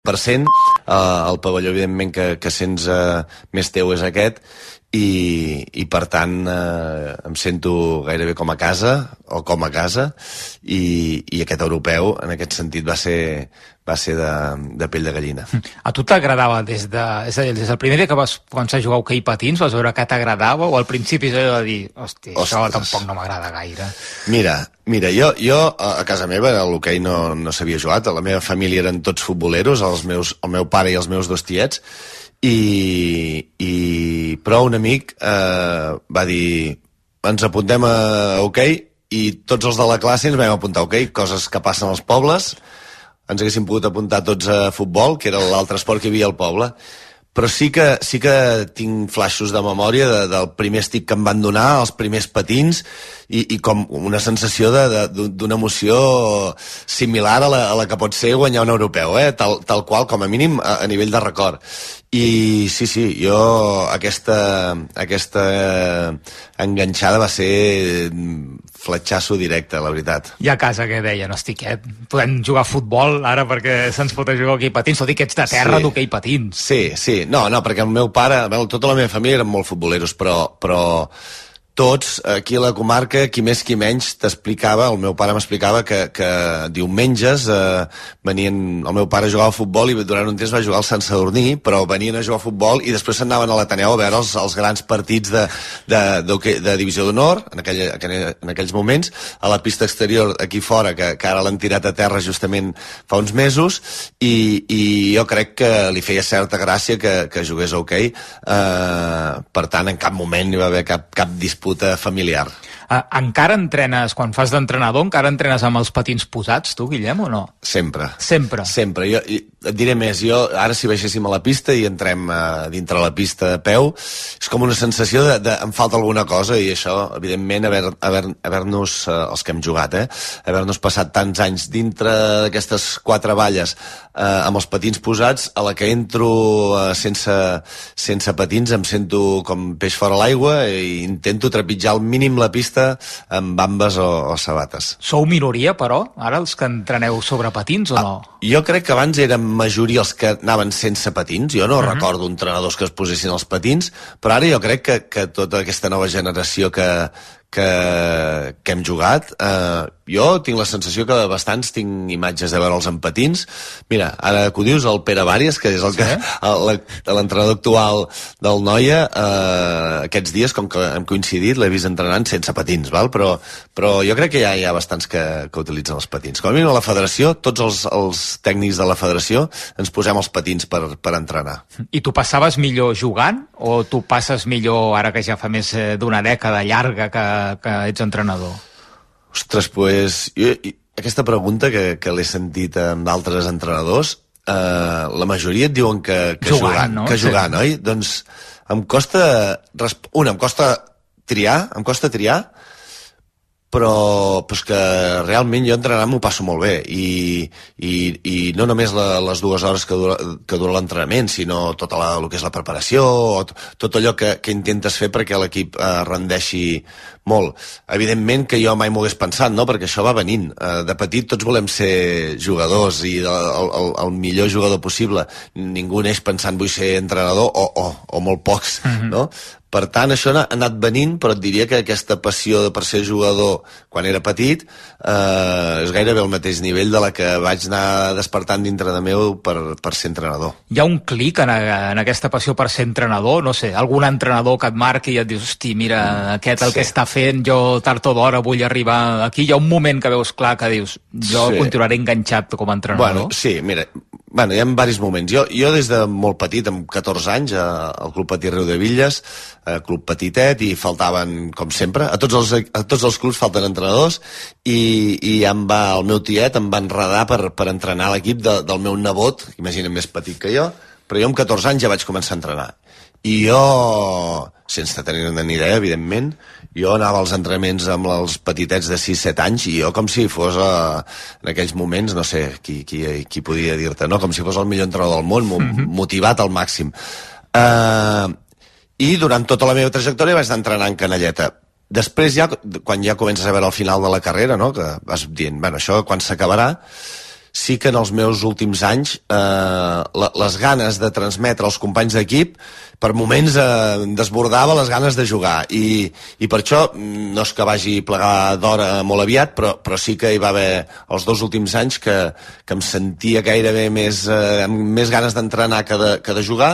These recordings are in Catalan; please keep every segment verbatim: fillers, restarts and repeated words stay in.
per cent. Uh, el pavelló, evidentment, que, que sents uh, més teu és aquest, i, i per tant eh, em sento gairebé com a casa o com a casa, i, i aquest europeu en aquest sentit va ser, va ser de, de pell de gallina. A tu t'agradava des de, és a dir, des del primer dia que vas començar a jugar a hoquei patins, vas veure que t'agradava, o al principi és allò de dir, hosti, això tampoc no m'agrada gaire? Mira, mira, jo, jo a casa meva a l'hoquei no, no s'havia jugat, a la meva família eren tots futboleros, els meus, el meu pare i els meus dos tiets, i, i però un amic eh, va dir, ens apuntem a hoquei, i tots els de la classe ens vam apuntar a hoquei, coses que passen als pobles. Ens haguéssim pogut apuntar tots a futbol, que era l'altre esport que hi havia al poble, però sí que, sí que tinc flaixos de memòria de, del primer estic que em van donar, els primers patins, i, i com una sensació d'una emoció similar a la, a la que pot ser guanyar un europeu, eh? tal, tal qual, com a mínim, a, a nivell de record. I sí, sí, jo aquesta, aquesta enganxada va ser fletxasso directe, la veritat. I a casa què deien? Hosti, què? Podem jugar a futbol ara perquè se'ns pot jugar a hoquei patins? Tot i que ets de terra sí. d'hoquei patins. Sí, sí. No, no, perquè el meu pare, tota la meva família eren molt futboleros, però, però tots, aquí a la comarca, qui més qui menys, t'explicava, el meu pare m'explicava que, que diumenges eh, venien, el meu pare jugava a futbol i durant un temps va jugar al Sant Sadurní, però venien a jugar a futbol i després s'anaven a l'Ateneu a veure els, els grans partits de, de, de, de divisió d'honor, en, aquell, en aquells moments, a la pista exterior aquí fora, que, que ara l'han tirat a terra justament fa uns mesos, i, i jo crec que li feia certa gràcia que, que jugués a hoquei. Eh, per tant, en cap moment hi va haver cap, cap disputa familiar. Uh, encara entrenes, quan fas d'entrenador, encara entrenes amb els patins posats, tu, Guillem, o no? Sempre. Sempre? Sempre. Jo, et diré més, jo ara si baixéssim a la pista i entrem uh, dintre la pista a peu, és com una sensació de, de em falta alguna cosa, i això, evidentment, haver-nos, haver, haver uh, els que hem jugat, eh, haver-nos passat tants anys dintre d'aquestes quatre valles uh, amb els patins posats, a la que entro uh, sense, sense patins em sento com peix fora l'aigua i intento trepitjar al mínim la pista amb bambes o, o sabates. Sou minoria, però, ara, els que entreneu sobre patins, o no? Ah, jo crec que abans eren majoria els que anaven sense patins. Jo no uh-huh. recordo entrenadors que es posessin els patins, però ara jo crec que, que tota aquesta nova generació que, que, que hem jugat, eh, jo tinc la sensació que bastants tinc imatges de veure'ls en patins. Mira, ara que ho dius, el Pere Vàries, que és el que l'entrenador actual del Noia, eh, aquests dies, com que hem coincidit, l'he vist entrenant sense patins, val? Però, però jo crec que ja hi ha bastants que, que utilitzen els patins. Com a mínim a la federació, tots els, els tècnics de la federació ens posem els patins per, per entrenar. I tu passaves millor jugant, o tu passes millor ara que ja fa més d'una dècada llarga que, que ets entrenador? Ostres, pues, jo, aquesta pregunta que, que l'he sentit amb d'altres entrenadors, eh, la majoria et diuen que, que jugant, jugant, no? que jugant, sí. Oi? Doncs em costa, una, em costa triar, em costa triar, però pues que realment jo entrenant m'ho passo molt bé, i, i, i no només la, les dues hores que dura, que dura l'entrenament, sinó tota la, el que és la preparació, o tot allò que, que intentes fer perquè l'equip eh, rendeixi molt. Evidentment que jo mai m'ho hagués pensat, no? Perquè això va venint. Eh, de petit tots volem ser jugadors i el, el, el millor jugador possible. Ningú neix pensant vull ser entrenador, o, o, o molt pocs, mm-hmm. no? Per tant, això ha anat venint, però et diria que aquesta passió per ser jugador quan era petit eh, és gairebé al mateix nivell de la que vaig anar despertant dintre de meu per, per ser entrenador. Hi ha un clic en, en aquesta passió per ser entrenador? No sé, algun entrenador que et marqui i et dius, hosti, mira, aquest el sí. que està fent, jo tard o d'hora vull arribar aquí. Hi ha un moment que veus clar que dius, jo sí. continuaré enganxat com a entrenador. Bueno, sí, mira, bueno, hi ha diversos moments. Jo, jo des de molt petit, amb catorze anys, al Club Patí Riu de Villes, eh, club petitet, i faltaven, com sempre, a tots els, a tots els clubs falten entrenadors, i, i em va, el meu tiet em va enredar per, per entrenar l'equip de, del meu nebot, imagina't més petit que jo, però jo amb catorze anys ja vaig començar a entrenar. I jo, sense tenir ni idea, evidentment, jo anava als entrenaments amb els petitets de sis set anys, i jo com si fos a, en aquells moments, no sé qui, qui, qui podia dir-te, no? Com si fos el millor entrenador del món, mm-hmm. motivat al màxim. Uh, i durant tota la meva trajectòria vaig anar entrenant canalleta. Després ja, quan ja comences a veure el final de la carrera, no? Que vas dient, bueno, això quan s'acabarà, sí que en els meus últims anys eh, les ganes de transmetre als companys d'equip per moments eh, desbordava les ganes de jugar i, i per això no és que vagi plegar d'hora molt aviat, però, però sí que hi va haver els dos últims anys que, que em sentia gairebé més, eh, amb més ganes d'entrenar que, de, que de jugar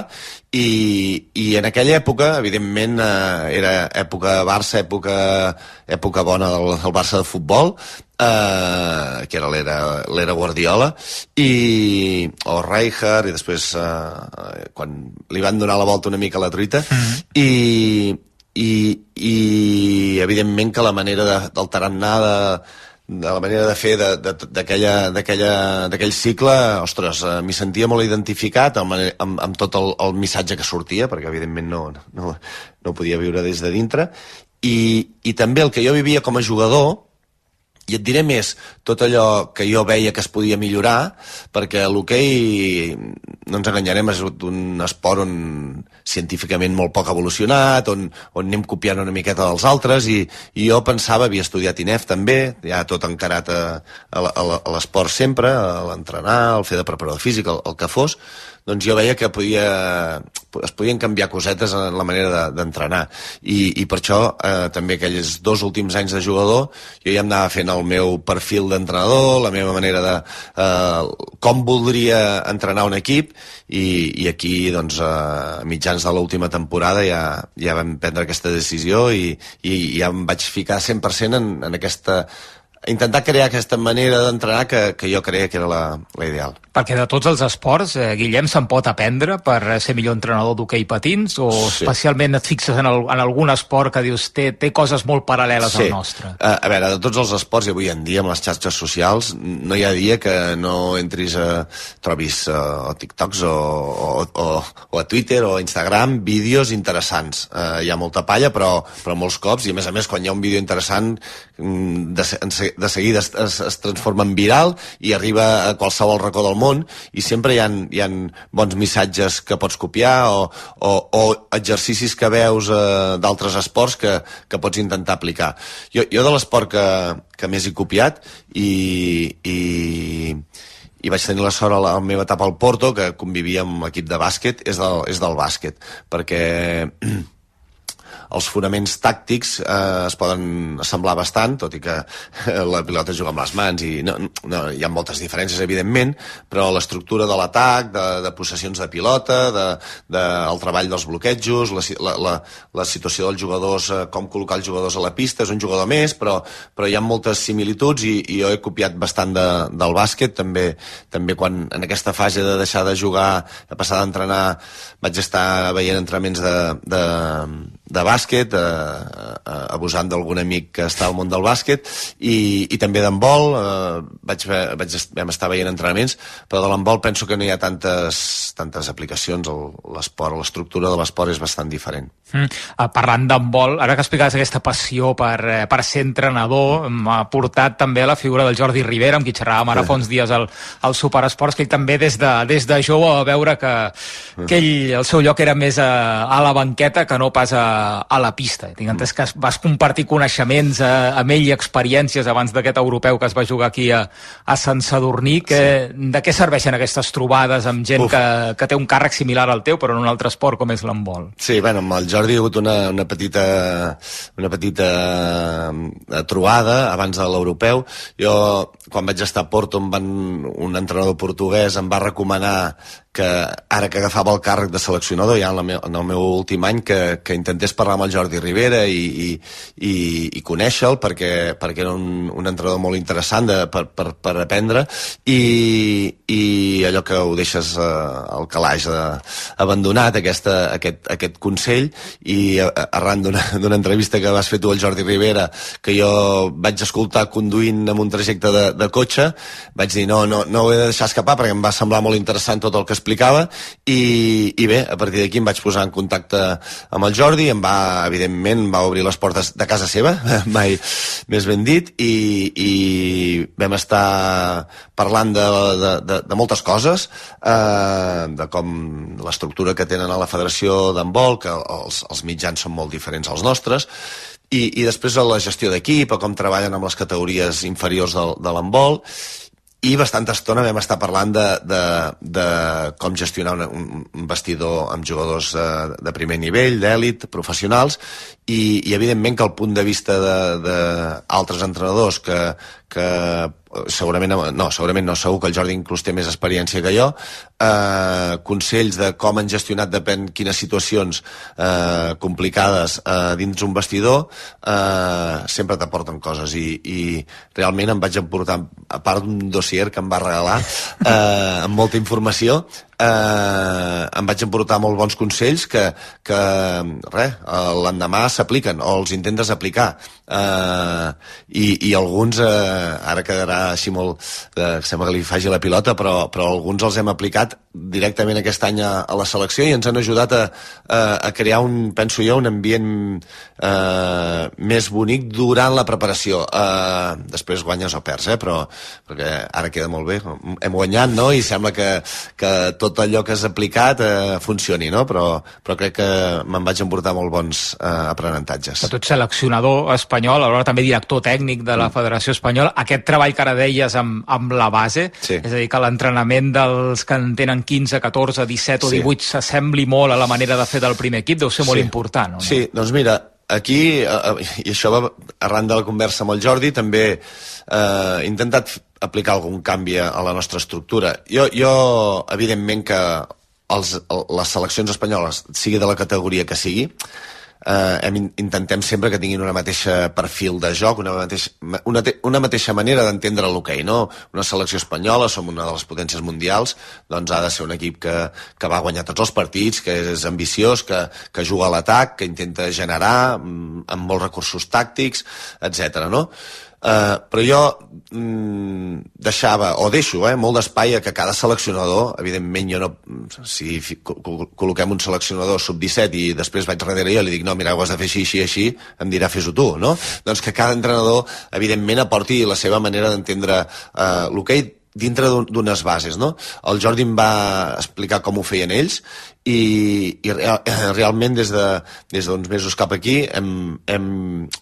i, i en aquella època, evidentment, eh, era època Barça, època, època bona del, del Barça de futbol, Uh, que era l'era Guardiola i, o Rijkaard i després uh, quan li van donar la volta una mica a la truita mm-hmm. i, i, i evidentment que la manera de, del tarannà de, de la manera de fer d'aquell cicle, ostres, uh, m'hi sentia molt identificat amb, amb, amb tot el, el missatge que sortia, perquè evidentment no, no, no podia viure des de dintre i, i també el que jo vivia com a jugador. I et diré més, tot allò que jo veia que es podia millorar, perquè l'hoquei, no ens enganyarem, és un esport on científicament molt poc evolucionat, on, on anem copiant una miqueta dels altres, i, i jo pensava, havia estudiat I N E F també, ja tot encarat a, a, a l'esport sempre, a l'entrenar, al fer de preparador físic, el, el que fos, doncs jo veia que podia, es podien canviar cosetes en la manera d'entrenar. I, i per això eh, també aquells dos últims anys de jugador jo ja em anava fent el meu perfil d'entrenador, la meva manera de eh, com voldria entrenar un equip i, i aquí doncs, a mitjans de l'última temporada ja, ja vam prendre aquesta decisió i, i ja em vaig ficar cent per cent en, en aquesta intentar crear aquesta manera d'entrenar que, que jo creia que era la, la ideal. Perquè de tots els esports, eh, Guillem, se'n pot aprendre per ser millor entrenador d'hoquei patins o sí. Especialment et fixes en, el, en algun esport que dius té, té coses molt paral·leles sí. Al nostre? Uh, a veure, de tots els esports, i avui en dia, amb les xarxes socials, no hi ha dia que no entris a... trobis uh, o TikToks o, o, o, o a Twitter o a Instagram vídeos interessants. Uh, hi ha molta palla, però, però molts cops, i a més a més, quan hi ha un vídeo interessant, de, de seguida es, es, es transforma en viral i arriba a qualsevol racó del món i sempre hi ha, hi ha bons missatges que pots copiar o, o, o exercicis que veus eh, d'altres esports que, que pots intentar aplicar. Jo, jo de l'esport que, que més he copiat i, i, i vaig tenir la sort a la, a la meva etapa al Porto, que convivia amb l'equip de bàsquet, és del, és del bàsquet, perquè els fonaments tàctics eh, es poden assemblar bastant, tot i que la pilota es juga amb les mans i no, no, hi ha moltes diferències, evidentment, però l'estructura de l'atac, de, de possessions de pilota, de, de, el treball dels bloquejos, la, la, la, la situació dels jugadors, eh, com col·locar els jugadors a la pista, és un jugador més, però, però hi ha moltes similituds i, i jo he copiat bastant de, del bàsquet, també, també quan en aquesta fase de deixar de jugar, de passar d'entrenar, vaig estar veient entrenaments de, de, de bàsquet, eh, eh, abusant d'algun amic que està al món del bàsquet, i, i també d'handbol, eh, vaig, vaig, vam estar veient entrenaments, però de l'handbol penso que no hi ha tantes, tantes aplicacions, l'esport, l'estructura de l'esport és bastant diferent. Mm. Uh, parlant d'handbol, ara que explicaves aquesta passió per, eh, per ser entrenador, m'ha portat també a la figura del Jordi Rivera, amb qui xerràvem ara fa uns dies al, al Superesports, que ell també des de, des de jove va veure que, que ell, el seu lloc era més a, a la banqueta que no pas a, a la pista. Tinc entès que vas compartir coneixements a, amb ell i experiències abans d'aquest europeu que es va jugar aquí a, a Sant Sadurní. Que, sí. De què serveixen aquestes trobades amb gent que, que té un càrrec similar al teu, però en un altre esport com és l'handbol? Sí, bueno, amb el Jordi hi ha hagut una, una petita, una petita trobada abans de l'europeu. Jo, quan vaig estar a Porto, em van, un entrenador portuguès em va recomanar que ara que agafava el càrrec de seleccionador ja en, la meu, en el meu últim any que, que intentés parlar amb el Jordi Rivera i, i, i, i conèixer-lo perquè, perquè era un, un entrenador molt interessant de, per, per, per aprendre i, i allò que ho deixes eh, al calaix de, abandonat aquesta, aquest, aquest consell i arran d'una entrevista que vas fer tu al Jordi Rivera que jo vaig escoltar conduint en un trajecte de, de cotxe, vaig dir no, no, no ho he de deixar escapar perquè em va semblar molt interessant tot el que explicava i, i bé, a partir d'aquí em vaig posar en contacte amb el Jordi, em va, evidentment, em va obrir les portes de casa seva, mai més ben dit, i, i vam estar parlant de, de, de, de moltes coses, eh, de com l'estructura que tenen a la Federació d'Handbol, que els, els mitjans són molt diferents als nostres, i, i després a la gestió d'equip, a com treballen amb les categories inferiors de, de l'handbol, i bastanta estona vam estar parlant de, de, de com gestionar un, un vestidor amb jugadors uh, de primer nivell, d'èlit, professionals, i, i evidentment que el punt de vista d'altres entrenadors que, que segurament no, segurament no, segur que el Jordi inclús té més experiència que jo, eh, consells de com han gestionat depèn quines situacions eh, complicades eh, dins un vestidor, eh, sempre t'aporten coses, i, i realment em vaig emportar, a part d'un dossier que em va regalar eh, amb molta informació, eh, em vaig emportar molt bons consells que, que res, l'endemà s'apliquen o els intentes aplicar, eh, i, i alguns eh, ara quedarà així molt, eh, sembla que li faci la pilota, però, però alguns els hem aplicat directament aquest any a, a la selecció i ens han ajudat a, a, a crear un, penso jo, un ambient eh, més bonic durant la preparació. Eh, després guanyes o perds, eh, però perquè ara queda molt bé, hem guanyat, no?, i sembla que, que tot allò que has aplicat eh, funcioni, no?, però, però crec que me'n vaig emportar molt bons eh, aprenentatges. Tu ets seleccionador espanyol, alhora també director tècnic de la Federació Espanyola. Aquest treball que ara deies amb, amb la base, sí. És a dir, que l'entrenament dels que en tenen quinze, catorze, disset o divuit sí. s'assembli molt a la manera de fer del primer equip, deu ser molt sí. important, o no? Sí, doncs mira, aquí, i això va arran de la conversa amb el Jordi, també eh, he intentat aplicar algun canvi a la nostra estructura. Jo, jo evidentment que els, les seleccions espanyoles, sigui de la categoria que sigui, Uh, hem, intentem sempre que tinguin una mateixa perfil de joc, una mateixa, una, una mateixa manera d'entendre l'hoquei, no? Una selecció espanyola, som una de les potències mundials, doncs ha de ser un equip que, que va guanyar tots els partits, que és ambiciós, que, que juga a l'atac, que intenta generar amb molts recursos tàctics, etcètera, no? Uh, però jo mm, deixava, o deixo, eh, molt d'espai a que cada seleccionador, evidentment jo no, si col·loquem un seleccionador sub disset i després vaig darrere jo i li dic, no, mira, ho has de fer així, així, així, em dirà, fes-ho tu, no? Doncs que cada entrenador, evidentment, aporti la seva manera d'entendre uh, l'hoquei dintre d'unes bases, no? El Jordi em va explicar com ho feien ells i, i real, realment des de des d'uns mesos cap aquí hem, hem,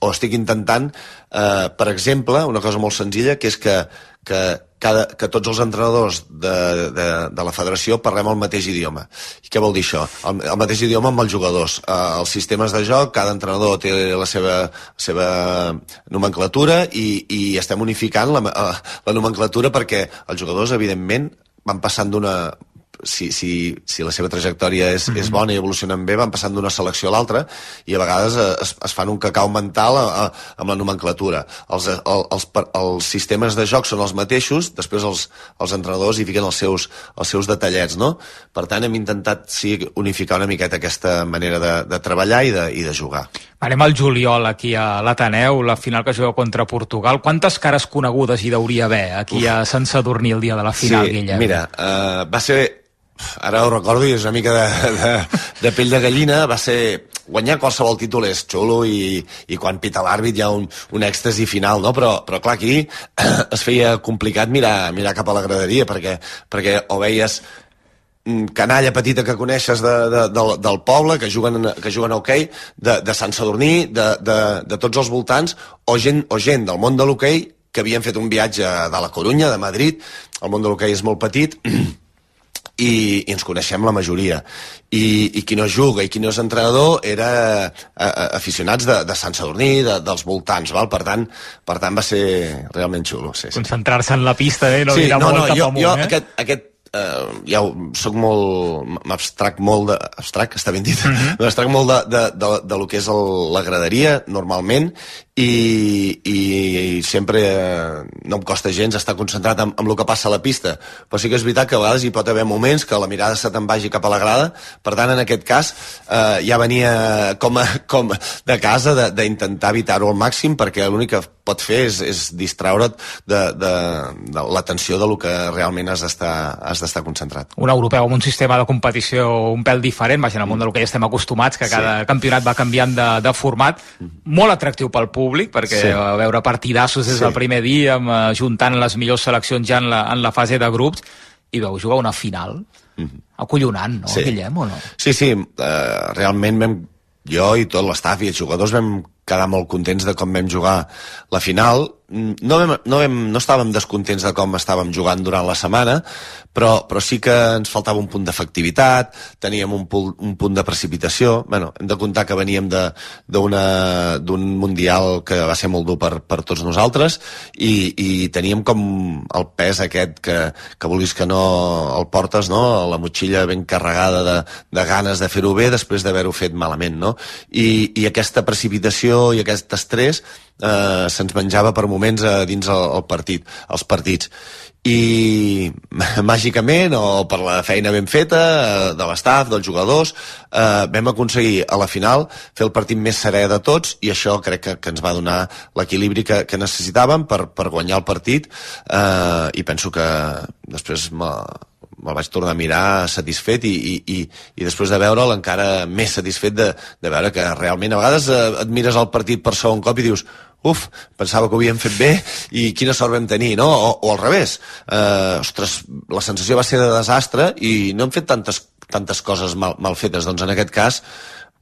o estic intentant, eh, per exemple, una cosa molt senzilla, que és que, que, cada, que tots els entrenadors de, de, de la federació parlem el mateix idioma. I què vol dir això? El, el mateix idioma amb els jugadors. Eh, els sistemes de joc, cada entrenador té la seva, la seva nomenclatura i, i estem unificant la, la nomenclatura perquè els jugadors, evidentment, van passant d'una... Si, si, si la seva trajectòria és, mm-hmm. és bona i evolucionen bé, van passant d'una selecció a l'altra i a vegades es, es fan un cacau mental a, a, amb la nomenclatura. Els, el, els, els sistemes de joc són els mateixos, després els, els entrenadors hi fiquen els seus, els seus detallets, no? Per tant, hem intentat sí, unificar una miqueta aquesta manera de, de treballar i de, i de jugar. Anem al juliol aquí a l'Ateneu, la final que juga contra Portugal. Quantes cares conegudes hi deuria haver aquí Uf. a Sant Sadurní el dia de la final, sí, Guillem? Mira, uh, va ser... Ara ho recordo i és una mica de, de, de pell de gallina. Va ser... Guanyar qualsevol títol és xulo i, i quan pita l'àrbit hi ha un, un èxtasi final, no? Però, però clar, aquí es feia complicat mirar, mirar cap a la graderia perquè, perquè o veies canalla petita que coneixes de, de, de, del poble, que juguen, que juguen a hoquei, de, de Sant Sadurní, de, de, de tots els voltants, o gent, o gent del món de l'hoquei que havien fet un viatge de la Corunya, de Madrid. El món de l'hoquei és molt petit i, i ens coneixem la majoria. I, i qui no juga i qui no és entrenador era a, a, aficionats de, de Sant Sadurní, de, dels voltants, val? Per tant, per tant va ser realment xulo. Sí, sí. Concentrar-se en la pista, eh? No sí, mirar no, molt no, cap jo, amunt, jo eh? aquest, aquest Uh, ja soc molt... m'abstrac molt de... abstrac, està ben dit? Mm-hmm. M'abstrac molt de, de, de, de lo que és el, la graderia, normalment, i, i, i sempre uh, no em costa gens estar concentrat en, en el que passa a la pista, però sí que és veritat que a vegades hi pot haver moments que la mirada se te'n vagi cap a la grada. Per tant, en aquest cas, uh, ja venia com, a, com de casa d'intentar evitar-ho al màxim, perquè l'únic que pot fer és, és distraure't de, de, de l'atenció de lo que realment has d'estar has d'estar concentrat. Un europeu amb un sistema de competició un pèl diferent, vaja, en el món del que ja estem acostumats, que cada sí. campionat va canviant de, de format, molt atractiu pel públic, perquè sí. a veure partidassos des sí. del primer dia, amb, juntant les millors seleccions ja en la, en la fase de grups, i veu jugar una final mm-hmm. acollonant, no, sí. Guillem, o no? Sí, sí, uh, realment vam, jo i tot l'estaf i els jugadors vam quedar molt contents de com vam jugar la final. No, vam, no, vam, no estàvem descontents de com estàvem jugant durant la setmana, però, però sí que ens faltava un punt d'efectivitat, teníem un, punt, un punt de precipitació. Bueno, hem de comptar que veníem d'un Mundial que va ser molt dur per, per tots nosaltres i, i teníem com el pes aquest que, que vulguis que no el portes, no? La motxilla ben carregada de, de ganes de fer-ho bé després d'haver-ho fet malament, no? I, i aquesta precipitació i aquest estrès eh, se'ns menjava per moments a dins el, el partit, els partits. I màgicament, o per la feina ben feta de l'estaf, dels jugadors, eh, vam aconseguir a la final fer el partit més serè de tots, i això crec que, que ens va donar l'equilibri que, que necessitàvem per, per guanyar el partit, eh, i penso que després me'l vaig tornar a mirar satisfet i, i, i, i després de veure'l encara més satisfet de, de veure que realment a vegades eh, et mires el partit per segon cop i dius uf, pensava que ho havíem fet bé i quina sort vam tenir, no? O, o al revés. Eh, ostres, la sensació va ser de desastre i no hem fet tantes, tantes coses mal, mal fetes. Doncs en aquest cas,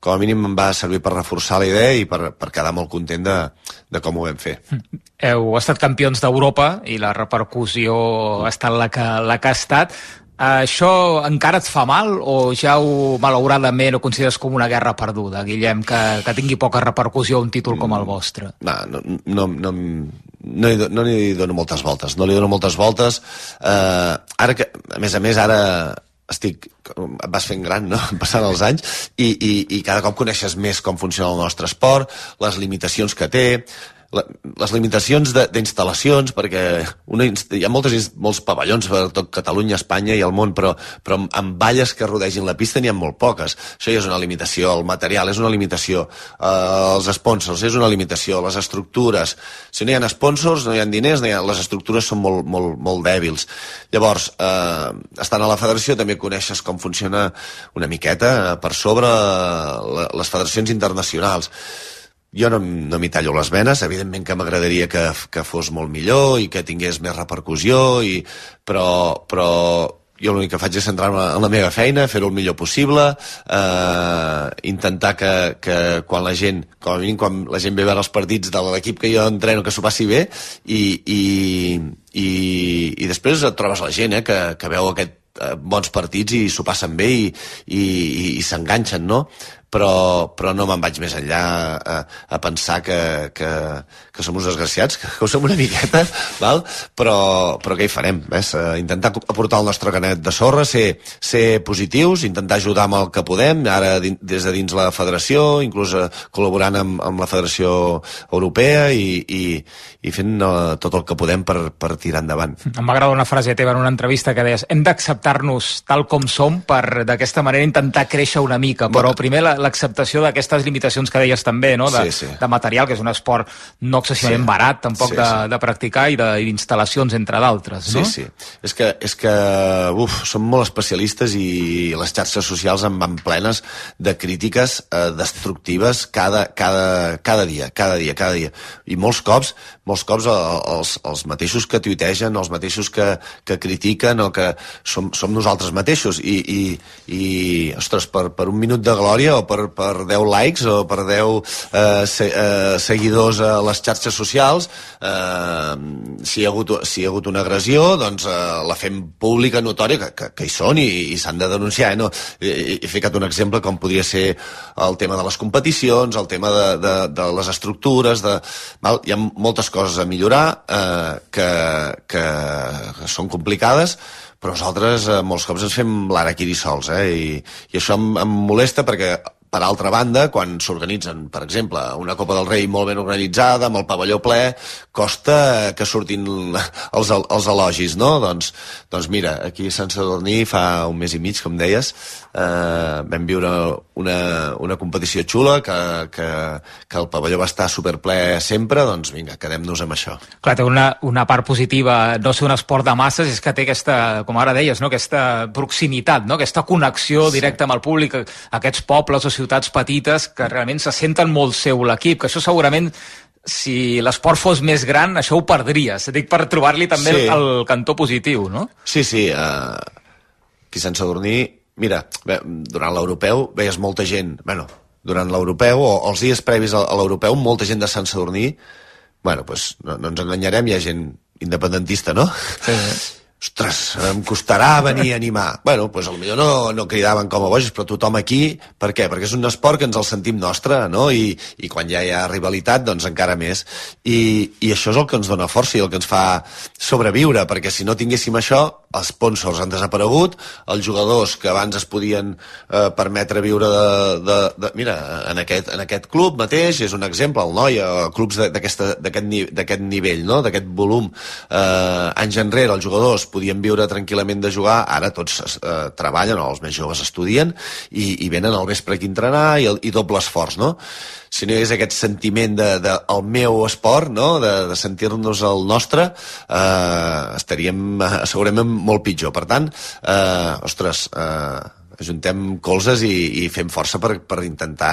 com a mínim em va servir per reforçar la idea i per, per quedar molt content de, de com ho vam fer. Heu estat campions d'Europa i la repercussió ha estat la que, la que ha estat. Això encara et fa mal o ja ho, malauradament, ho consideres com una guerra perduda, Guillem, que, que tingui poca repercussió un títol com el vostre? No, no, no, no, no, hi, no hi dono moltes voltes, no li dono moltes voltes. Eh, ara que, a més a més, ara estic, vas fent gran, no? Passant els anys, i, i, i cada cop coneixes més com funciona el nostre esport, les limitacions que té, la, les limitacions d'instal·lacions, perquè una, hi ha moltes, molts pavellons per tot Catalunya, Espanya i el món, però, però amb, amb valles que rodegin la pista n'hi ha molt poques. Això ja és una limitació, el material és una limitació, eh, els sponsors és una limitació, les estructures. Si no hi ha sponsors, no hi ha diners, no hi ha, les estructures són molt, molt, molt dèbils. Llavors, eh, estant a la federació també coneixes com funciona una miqueta eh, per sobre eh, les federacions internacionals. Jo no, no m'hi tallo les venes, evidentment que m'agradaria que, que fos molt millor i que tingués més repercussió, i, però, però jo l'únic que faig és centrar-me en la meva feina, fer-ho el millor possible, eh, intentar que, que quan la gent, com a mínim quan la gent ve a veure els partits de l'equip que jo entreno, que s'ho passi bé, i, i, i, i després et trobes la gent eh, que, que veu aquest bons partits i s'ho passen bé i, i, i, i s'enganxen, no? Però, però no me'n vaig més enllà a, a pensar que, que, que som uns desgraciats, que, que ho som una miqueta, val? Però, però què hi farem? Ves? Intentar aportar el nostre granet de sorra, ser, ser positius, intentar ajudar amb el que podem, ara des de dins la federació, inclús col·laborant amb, amb la Federació Europea i, i, i fent uh, tot el que podem per, per tirar endavant. Em va agradar una frase teva en una entrevista que deies hem d'acceptar-nos tal com som per d'aquesta manera intentar créixer una mica, però primer la l'acceptació d'aquestes limitacions que deies també, no? De, sí, sí. de material, que és un esport no excessivament sí. barat, tampoc sí, de, sí. de practicar, i d'instal·lacions, entre d'altres, no? Sí, sí. És que, és que uf, som molt especialistes i les xarxes socials en van plenes de crítiques eh, destructives cada, cada, cada dia, cada dia, cada dia. I molts cops, molts cops els, els mateixos que tuitegen, els mateixos que, que critiquen, o que som, som nosaltres mateixos, i, i, i ostres, per, per un minut de glòria o per, per deu likes o per deu eh, se, eh, seguidors a les xarxes socials, eh, si, hi ha hagut, si hi ha hagut una agressió, doncs eh, la fem pública, notòria, que, que, que hi són i, i s'han de denunciar. Eh, no? He, he ficat un exemple com podria ser el tema de les competicions, el tema de, de, de les estructures, de, val? Hi ha moltes coses a millorar eh, que, que, que són complicades, però nosaltres eh, molts cops ens fem l'ara aquí sols, eh? I, i això em, em molesta perquè, per altra banda, quan s'organitzen, per exemple, una Copa del Rei molt ben organitzada, amb el pavelló ple, costa que surtin els, els elogis, no? Doncs, doncs mira, aquí a Sant Sadurní fa un mes i mig, com deies, eh, vam viure una, una competició xula, que, que, que el pavelló va estar superple sempre, doncs vinga, quedem-nos amb això. Clar, té una, una part positiva, no ser un esport de masses, és que té aquesta, com ara deies, no? Aquesta proximitat, no? Aquesta connexió directa amb el públic, aquests pobles o ciutats petites que realment se senten molt seu l'equip, que això segurament, si l'esport fos més gran, això ho perdries. Dic per trobar-li també sí. el, el cantó positiu, no? Sí, sí. Uh, aquí a Sant Sadurní, mira, bé, durant l'europeu veies molta gent, bueno, durant l'europeu, o els dies previs a l'europeu, molta gent de Sant Sadurní, bueno, doncs no, no ens enganyarem, hi ha gent independentista, no? Sí. Ostres, em costarà venir a animar. Bueno, doncs potser no, no cridaven com a bojos, però tothom aquí, per què? Perquè és un esport que ens el sentim nostre, no? I, i quan ja hi ha rivalitat, doncs encara més. I, i això és el que ens dona força i el que ens fa sobreviure, perquè si no tinguéssim això, els sponsors han desaparegut, els jugadors que abans es podien eh, permetre viure de, de, de... Mira, en aquest, en aquest club mateix és un exemple, el Noia, clubs d'aquest nivell, no? D'aquest volum. Eh, anys enrere els jugadors podien viure tranquil·lament de jugar, ara tots eh, treballen, o els més joves estudien, i, i venen al vespre aquí a entrenar, i, i doble esforç, no? Si no hi hagués aquest sentiment de, de el meu esport, no? de, de sentir-nos el nostre, eh, estaríem eh, segurament molt pitjor. Per tant, eh, ostres, eh, ajuntem colzes i, i fem força per, per intentar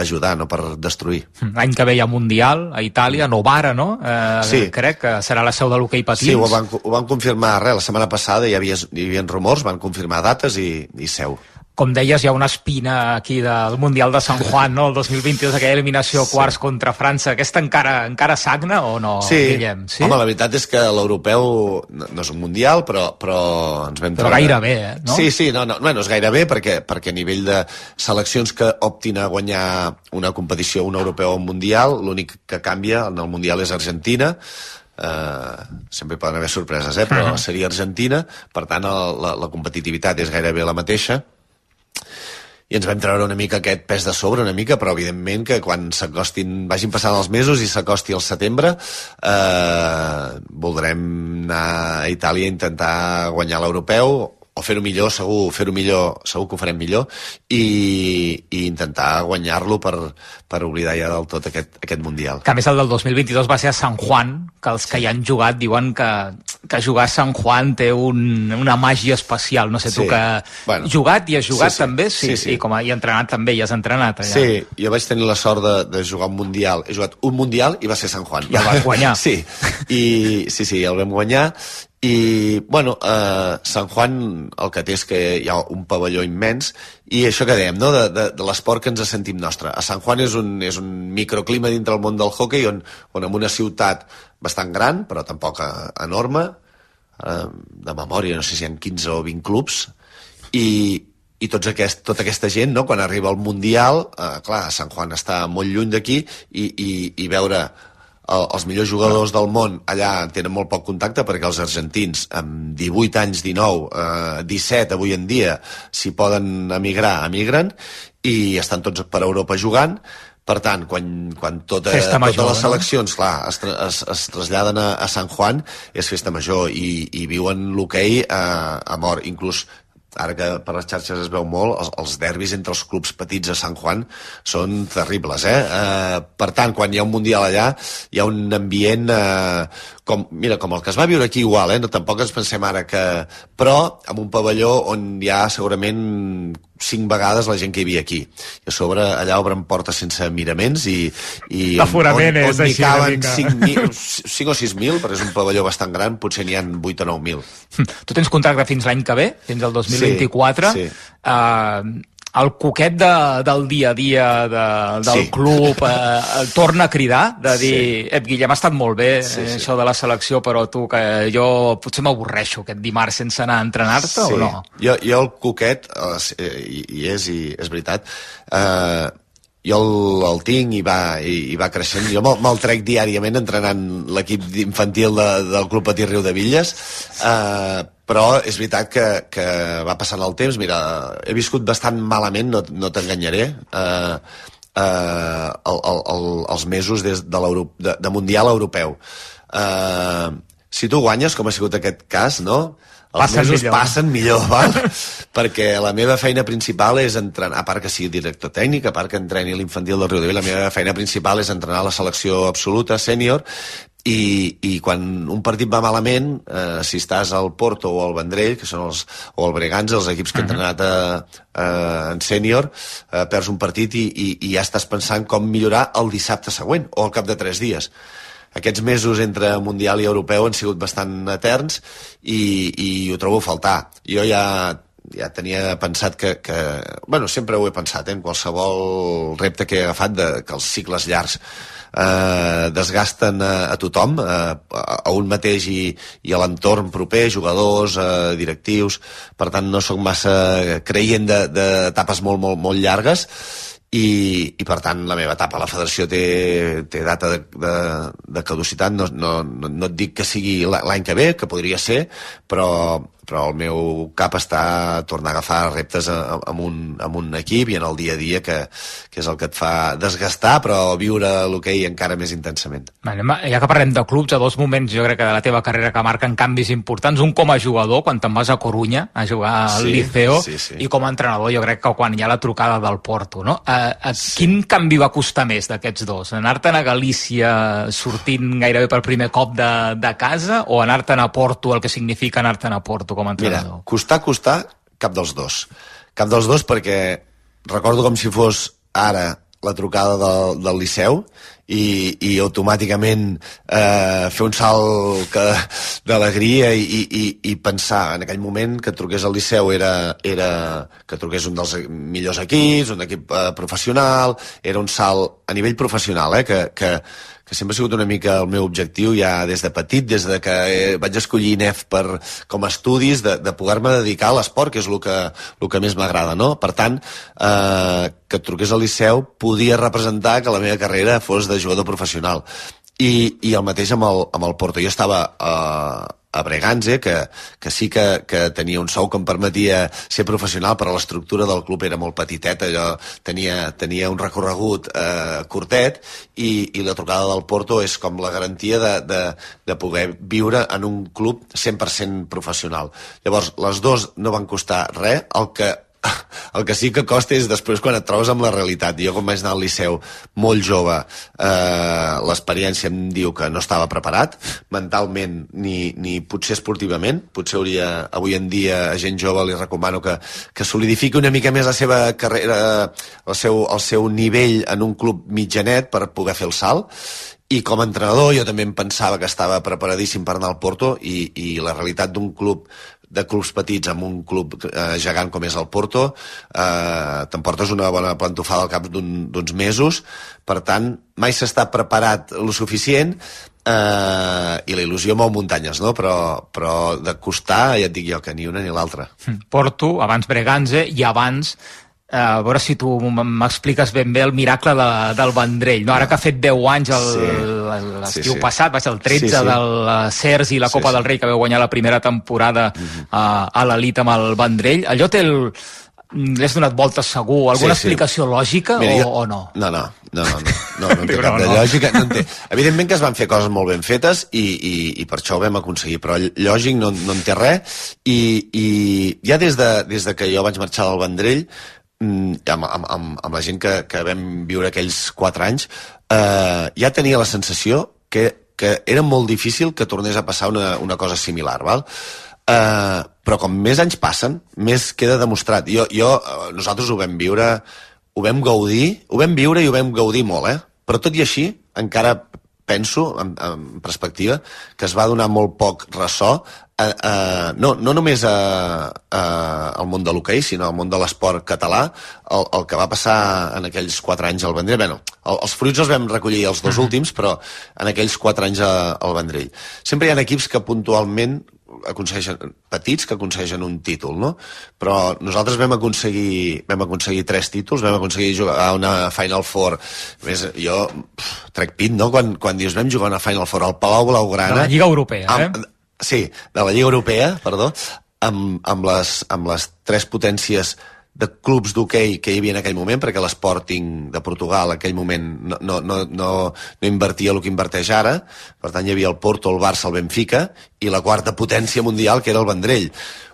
ajudar, no per destruir. L'any que ve hi ha Mundial a Itàlia, Novara, no? Eh, sí. Crec que serà la seu de l'hoquei patins. Sí, ho van, ho van confirmar res, la setmana passada hi havia, hi havia rumors, van confirmar dates i, i seu. Com deies, hi ha una espina aquí del Mundial de San Juan, no? El dos mil vint-i-dos, aquella eliminació sí. quarts contra França. Aquesta encara encara sagna o no, sí. Guillem? Sí, home, la veritat és que l'europeu no, no és un Mundial, però, però ens vam però treure... gairebé, eh? No? Sí, sí, no, no, bueno, és gairebé perquè, perquè a nivell de seleccions que optin a guanyar una competició, un europeu o un Mundial, l'únic que canvia en el Mundial és Argentina. Uh, sempre poden haver sorpreses, eh? Però uh-huh. seria Argentina, per tant la, la, la competitivitat és gairebé la mateixa. I ens vam treure una mica aquest pes de sobre, una mica, però evidentment que quan s'acostin, vagin passant els mesos i s'acosti el setembre, eh, voldrem anar a Itàlia a intentar guanyar l'europeu, o fer-ho millor, segur, fer-ho millor, segur que ho farem millor, i, i intentar guanyar-lo per, per oblidar ja del tot aquest, aquest Mundial. Que a més el del dos mil vint-i-dos va ser a San Juan, que els que hi han jugat diuen que, que jugar a San Juan té un, una màgia especial. No sé, sí. tu que bueno, jugat i has jugat sí, sí. també, sí, sí, sí. I com a, i entrenat també, i has entrenat allà. Sí, jo vaig tenir la sort de, de jugar un Mundial. He jugat un Mundial i va ser San Juan. I el vas guanyar. Sí, i, sí, sí, el vam guanyar. I, bueno, eh, San Juan el que té és que hi ha un pavelló immens i això que dèiem, no?, de, de, de l'esport que ens sentim nostre. A San Juan és un, és un microclima dintre el món del hoquei on, on en una ciutat bastant gran, però tampoc enorme, eh, de memòria, no sé si hi ha quinze o vint clubs, i, i tots aquest, tota aquesta gent, no?, quan arriba al Mundial, eh, clar, San Juan està molt lluny d'aquí i, i, i veure els millors jugadors del món allà tenen molt poc contacte perquè els argentins amb divuit anys, dinou, eh, disset avui en dia, si poden emigrar, emigren i estan tots per Europa jugant. Per tant, quan, quan tota, major, totes les seleccions, no? clar, es, es, es traslladen a, a San Juan, és festa major i, i viuen l'hoquei a, a mort. Inclús ara que per les xarxes es veu molt, els, els derbis entre els clubs petits a San Juan són terribles, eh? eh? Per tant, quan hi ha un Mundial allà, hi ha un ambient, eh, com, mira, com el que es va viure aquí igual, eh? No, tampoc ens pensem ara que... Però amb un pavelló on hi ha segurament cinc vegades la gent que hi havia aquí. I a sobre allà obren portes sense miraments i... i l'aforament on, és on així caben cinc o sis mil, però és un pavelló bastant gran, potser n'hi ha vuit o nou mil. Tu tens contracte fins l'any que ve, fins al dos mil vint-i-quatre. Sí, sí. Uh, el coquet de, del dia a dia de, del sí. club eh, torna a cridar, de dir, sí. Ep, Guillem, ha estat molt bé sí, sí. això de la selecció, però tu, que jo potser m'avorreixo aquest dimarts sense anar a entrenar-te, sí. o no? Jo, jo el coquet, eh, i, i és, i és veritat, eh, jo el, el tinc i va, i, i va creixent. Jo me'l, me'l trec diàriament entrenant l'equip infantil de, del Club Patí Riu de Villes, eh, però és veritat que, que va passant el temps. Mira, he viscut bastant malament, no, no t'enganyaré, eh, eh, el, el, el, els mesos des de, de, de Mundial Europeu. Eh, si tu guanyes, com ha sigut aquest cas, no?, els passen mesos millor. passen millor, val? Perquè la meva feina principal és entrenar, a part que sigui director tècnic, a part que entreni l'infantil del Riu de Villes, la meva feina principal és entrenar la selecció absoluta, sènior, i, i quan un partit va malament, eh, si estàs al Porto o al Vendrell, que són els, o al Bregança, els equips que he entrenat a, a, en sènior, eh, perds un partit i, i, i ja estàs pensant com millorar el dissabte següent, o al cap de tres dies. Aquests mesos entre Mundial i Europeu han sigut bastant eterns i, i ho trobo a faltar. Jo ja ja tenia pensat que, que... Bueno, sempre ho he pensat, eh, en qualsevol repte que he agafat, de, que els cicles llargs eh, desgasten a, a tothom, eh, a un mateix i, i a l'entorn proper, jugadors, eh, directius. Per tant, no sóc massa creient d'etapes molt, molt, molt llargues, i, i per tant la meva etapa a la federació té, té data de, de, de caducitat. No, no, no et dic que sigui l'any que ve, que podria ser, però, però el meu cap està a tornar a agafar reptes amb un, amb un equip i en el dia a dia, que, que és el que et fa desgastar, però viure l'hoquei encara més intensament. Vale, ja que parlem de clubs, a dos moments jo crec que de la teva carrera que marquen canvis importants, un com a jugador, quan te'n vas a Corunya a jugar al sí, Liceo, sí, sí. i com a entrenador jo crec que quan hi ha la trucada del Porto, no? A, a sí. Quin canvi va costar més d'aquests dos? Anar-te'n a Galícia sortint gairebé per primer cop de, de casa, o anar-te'n a Porto, el que significa anar-te'n a Porto com a entrenador? Mira, costar, costar, cap dels dos. Cap dels dos, perquè recordo com si fos ara la trucada del, del Liceu i, i automàticament eh, fer un salt que, d'alegria i, i, i pensar en aquell moment que truqués al Liceu era, era que truqués un dels millors equips, un equip eh, professional, era un salt a nivell professional, eh, que, que, que sempre ha sigut una mica el meu objectiu ja des de petit, des de que eh, vaig escollir I N E F per, com a estudis, de, de poder-me dedicar a l'esport, que és el que, el que més m'agrada, no? Per tant, eh, que et truqués al Liceu podia representar que la meva carrera fos de jugador professional. I, i el mateix amb el, amb el Porto. Jo estava eh, a Breganze, que, que sí que, que tenia un sou que em permetia ser professional, però l'estructura del club era molt petiteta, allò tenia, tenia un recorregut eh, curtet, i, i la trucada del Porto és com la garantia de, de, de poder viure en un club cent per cent professional. Llavors, les dues no van costar res, el que el que sí que costa és després quan et trobes amb la realitat. Jo, quan vaig anar al Liceu molt jove, eh, l'experiència em diu que no estava preparat, mentalment ni, ni potser esportivament. Potser hauria, avui en dia, a gent jove li recomano que, que solidifiqui una mica més la seva carrera, el seu, el seu nivell en un club mitjanet per poder fer el salt. I com a entrenador jo també em pensava que estava preparadíssim per anar al Porto, i, i la realitat d'un club de clubs petits amb un club eh, gegant com és el Porto, eh, t'emportes una bona plantofada al cap d'uns un, mesos. Per tant, mai s'està preparat lo suficient, eh, i la il·lusió mou muntanyes, no? Però, però de costar, ja et dic jo, que ni una ni l'altra. Porto, abans Breganze, i abans a veure si tu m'expliques ben bé el miracle de, del Vendrell, no? Ara que ha fet deu anys el, sí. l'estiu sí, sí. passat, va ser el tretze sí, sí. del Cers i la Copa sí, sí. del Rei, que veu guanyar la primera temporada uh-huh. a, a l'elit amb el Vendrell. Allò té el... L'has donat voltes segur? Alguna sí, sí. explicació lògica? Mira, jo... o, o no? No, no, no, no, no, no, no en té cap de lògica. No en té. Evidentment que es van fer coses molt ben fetes i, i, i per això ho vam aconseguir, però lògic no, no en té res, i, i ja des de, des de que jo vaig marxar del Vendrell, amb, amb, amb, amb la gent que, que vam viure aquells quatre anys, eh, ja tenia la sensació que, que era molt difícil que tornés a passar una, una cosa similar, val? Eh, però com més anys passen, més queda demostrat. Jo, jo, nosaltres ho vam viure, ho vam gaudir, ho vam viure i ho vam gaudir molt, eh? Però tot i així, encara penso, en, en perspectiva, que es va donar molt poc ressò, eh, eh, no, no només a, a, al món de l'hoquei, sinó al món de l'esport català, el, el que va passar en aquells quatre anys al Vendrell. Bueno, el, els fruits els vam recollir els dos últims, però en aquells quatre anys a, al Vendrell. Sempre hi ha equips que puntualment aconsegueixen, petits que aconsegueixen un títol, no? Però nosaltres vam aconseguir vam aconseguir tres títols, vam aconseguir jugar a una Final Four. A més, jo pff, trec pit, no? Quan, quan dius vam jugar a una Final Four al Palau Blaugrana... De la Lliga Europea, amb, eh? Sí, de la Lliga Europea, perdó, amb, amb, les, amb les tres potències de clubs d'hoquei que hi havia en aquell moment, perquè l'Sporting de Portugal en aquell moment no, no, no, no, no invertia el que inverteix ara. Per tant, hi havia el Porto, el Barça, el Benfica, i la quarta potència mundial, que era el Vendrell.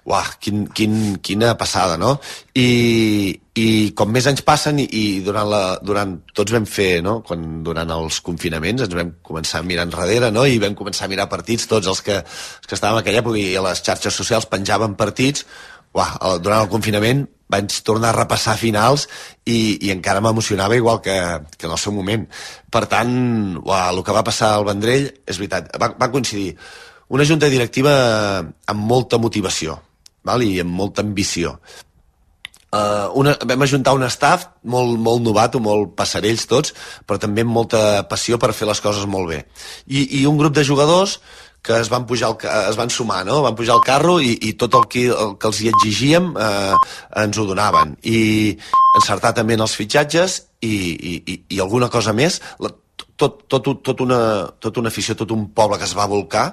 Uah, quin, quin, quina passada, no? I, i com més anys passen, i, i durant, la, durant tots vam fer, no? Quan, durant els confinaments ens vam començar a mirar enrere, no? I vam començar a mirar partits, tots els que, els que estàvem a aquella època, i a les xarxes socials penjaven partits. Uah, durant el confinament vaig tornar a repassar finals i, i encara m'emocionava igual que, que en el seu moment. Per tant, uah, el que va passar al Vendrell, és veritat, va, va coincidir una junta directiva amb molta motivació, val? I amb molta ambició. Uh, una, vam ajuntar un staff molt, molt novato, molt passarells tots, però també amb molta passió per fer les coses molt bé. I, i un grup de jugadors que es van pujar, el, es van sumar, no? Van pujar al carro i, i tot el que, el que els hi exigíem eh, ens ho donaven. I encertar també en els fitxatges i, i, i alguna cosa més. La, tot, tot, tot, una, tot una afició, tot un poble que es va volcar.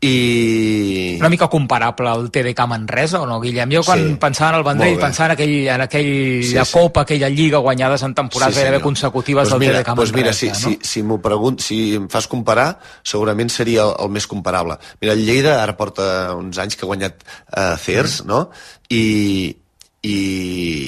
I... Una mica comparable al T D K Manresa, o no, Guillem? Jo quan sí, pensava en el Vendrell, pensava en, aquell, en aquella sí, Copa, sí. aquella Lliga guanyades en temporades sí, gairebé consecutives pues del mira, T D K Manresa. Pues mira, si, no? si, si m'ho pregunt, si em fas comparar, segurament seria el, el més comparable. Mira, el Lleida ara porta uns anys que ha guanyat uh, C E R S, mm. no? I, i,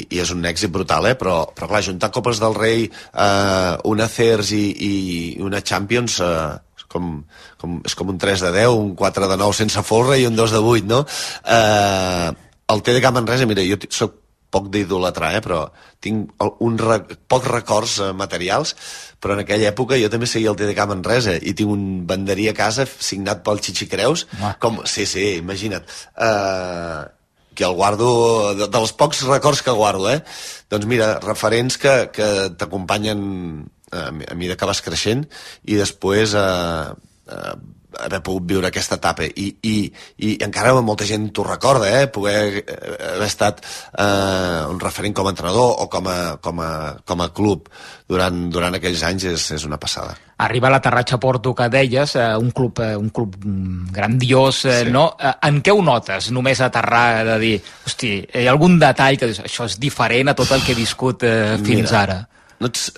i és un èxit brutal, eh? Però, però clar, juntar Copes del Rei, uh, una C E R S i, i una Champions... Uh, Com, com, és com un tres de deu, un quatre de nou sense folre i un dos de vuit, no? Eh, el T D K Manresa, mira, jo soc poc d'idolatrar, eh, però tinc un re, pocs records eh, materials, però en aquella època jo també seguia el T D K Manresa i tinc un banderí a casa signat pel Chichi Creus, ah. com, sí, sí, imagina't, eh, que el guardo, de, dels pocs records que guardo, eh? Doncs mira, referents que, que t'acompanyen a mesura que vas creixent i després eh, eh, haver pogut viure aquesta etapa i, i, i encara molta gent t'ho recorda, eh? Poder haver estat eh, un referent com a entrenador o com a, com a, com a club durant, durant aquells anys és, és una passada. Arriba l'aterratge a Porto que deies, eh, un club, eh, un club grandiós, eh, sí. no? Eh, en què ho notes, només aterrar, de dir, hosti, hi ha algun detall que dius, això és diferent a tot el que he viscut eh, fins Mira, ara? No ets...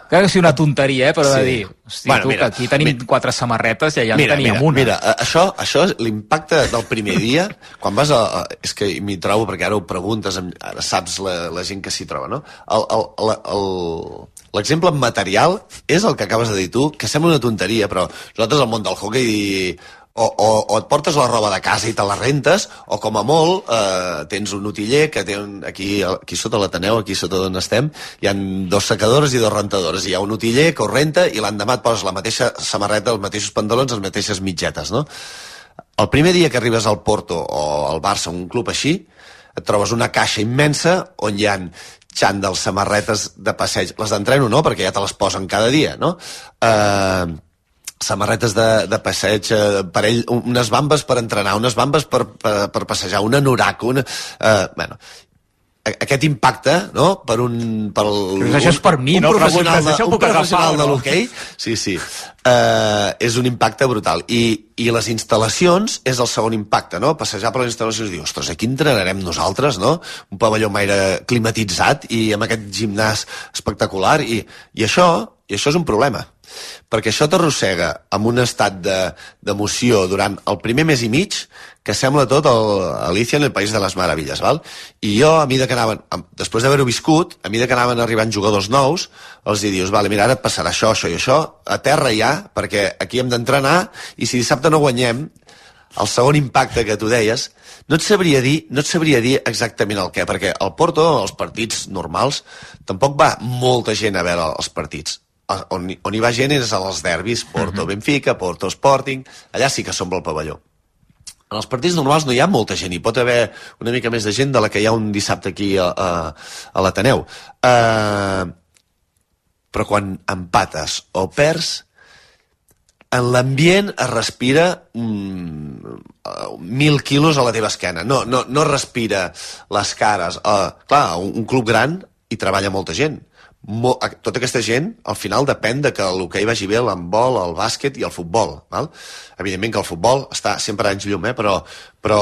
Clar que sigui una tonteria, eh, però sí. de dir, hosti, bueno, tu, mira, que aquí tenim mira, quatre samarretes i allà mira, en teníem mira, una. Mira, això, això l'impacte del primer dia, quan vas a... a és que m'hi trobo, perquè ara ho preguntes, ara saps la, la gent que s'hi troba, no? L'exemple material és el que acabes de dir tu, que sembla una tonteria, però nosaltres al món del hoquei... O, o, o et portes la roba de casa i te la rentes, o com a molt eh, tens un utiller que té un, aquí, aquí sota l'Ateneu, aquí sota d'on estem, hi ha dos secadores i dos rentadores, hi ha un utiller que ho renta i l'endemà et poses la mateixa samarreta, els mateixos pantalons, les mateixes mitgetes, no? El primer dia que arribes al Porto o al Barça, un club així, et trobes una caixa immensa on hi ha xandals, samarretes de passeig, les d'entreno no, perquè ja te les posen cada dia, no? Eh... samarretes de, de passeig, eh, parell, unes bambes per entrenar, unes bambes per, per, per passejar, una anorac, una... Eh, bueno, aquest impacte, no?, per un... Per el, Però això és per mi, un no? Professional de, un professional agafar, de l'hoquei, sí, sí, eh, és un impacte brutal. I, I les instal·lacions és el segon impacte, no? Passejar per les instal·lacions i dir, ostres, aquí entrenarem nosaltres, no? Un pavelló amb aire climatitzat i amb aquest gimnàs espectacular, i, i això, i això és un problema. Perquè això t'arrossega amb un estat d'emoció de, durant el primer mes i mig que sembla tot el, Alicia en el País de les Meravilles, val? I jo, a mesura que anaven, després d'haver-ho viscut, a mesura que anaven arribant jugadors nous, els hi dius, vale, mira, ara et passarà això, això i això, a terra ja, perquè aquí hem d'entrenar, i si dissabte no guanyem, el segon impacte que tu deies, no et sabria dir, no et sabria dir exactament el què, perquè al Porto, els partits normals, tampoc va molta gent a veure els partits. On, on hi va gent és als derbis, Porto uh-huh. Benfica, Porto Sporting, allà sí que s'omple el pavelló. En els partits normals no hi ha molta gent, hi pot haver una mica més de gent de la que hi ha un dissabte aquí a, a, a l'Ateneu. Uh, però quan empates o perds, en l'ambient es respira um, mil quilos a la teva esquena. No, no, no respira les cares. Uh, clar, un, un club gran hi treballa molta gent. Mo, tota aquesta gent, al final, depèn de que l'hoquei vagi bé, l'handbol, el bàsquet i el futbol. Val? Evidentment que el futbol està sempre a anys llum, eh? però, però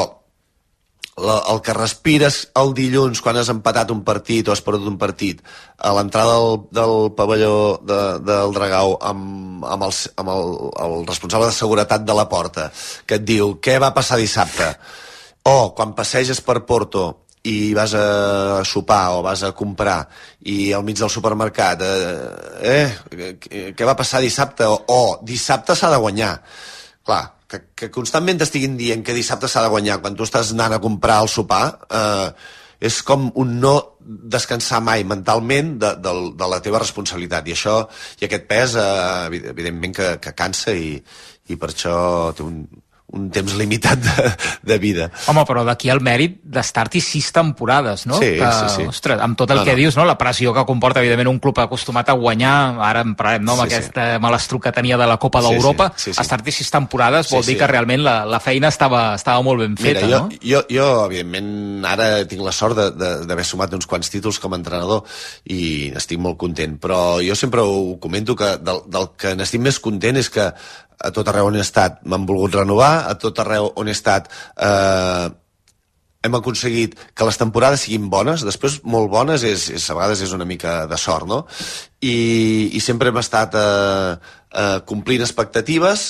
la, el que respires el dilluns quan has empatat un partit o has perdut un partit a l'entrada del, del pavelló de, del Dragau amb, amb, el, amb el, el responsable de seguretat de la porta que et diu què va passar dissabte, o quan passeges per Porto i vas a sopar o vas a comprar i al mig del supermercat eh, eh què va passar dissabte, o, o dissabte s'ha de guanyar, clar, que, que constantment t'estiguin dient que dissabte s'ha de guanyar quan tu estàs anant a comprar al sopar, eh, és com un no descansar mai mentalment de, de, de la teva responsabilitat, i això i aquest pes eh, evidentment que, que cansa, i, i per això té un un temps limitat de, de vida. Home, però d'aquí el mèrit d'estar-hi sis temporades, no? Sí, que, sí, sí. Ostres, amb tot el no, que no. dius, no? La pressió que comporta, evidentment, un club acostumat a guanyar, ara en parlem, no? Amb sí, aquesta sí. malastruc que tenia de la Copa d'Europa, sí, sí, sí. estar-hi sis temporades vol sí, dir sí. que realment la, la feina estava, estava molt ben feta, Mira, jo, no? Jo, jo, evidentment, ara tinc la sort d'haver sumat uns quants títols com a entrenador i estic molt content, però jo sempre ho comento que del, del que n'estic més content és que a tot arreu on he estat m'han volgut renovar, a tot arreu on he estat eh, hem aconseguit que les temporades siguin bones, després molt bones és, és a vegades és una mica de sort, no? I, i sempre hem estat eh, eh, complint expectatives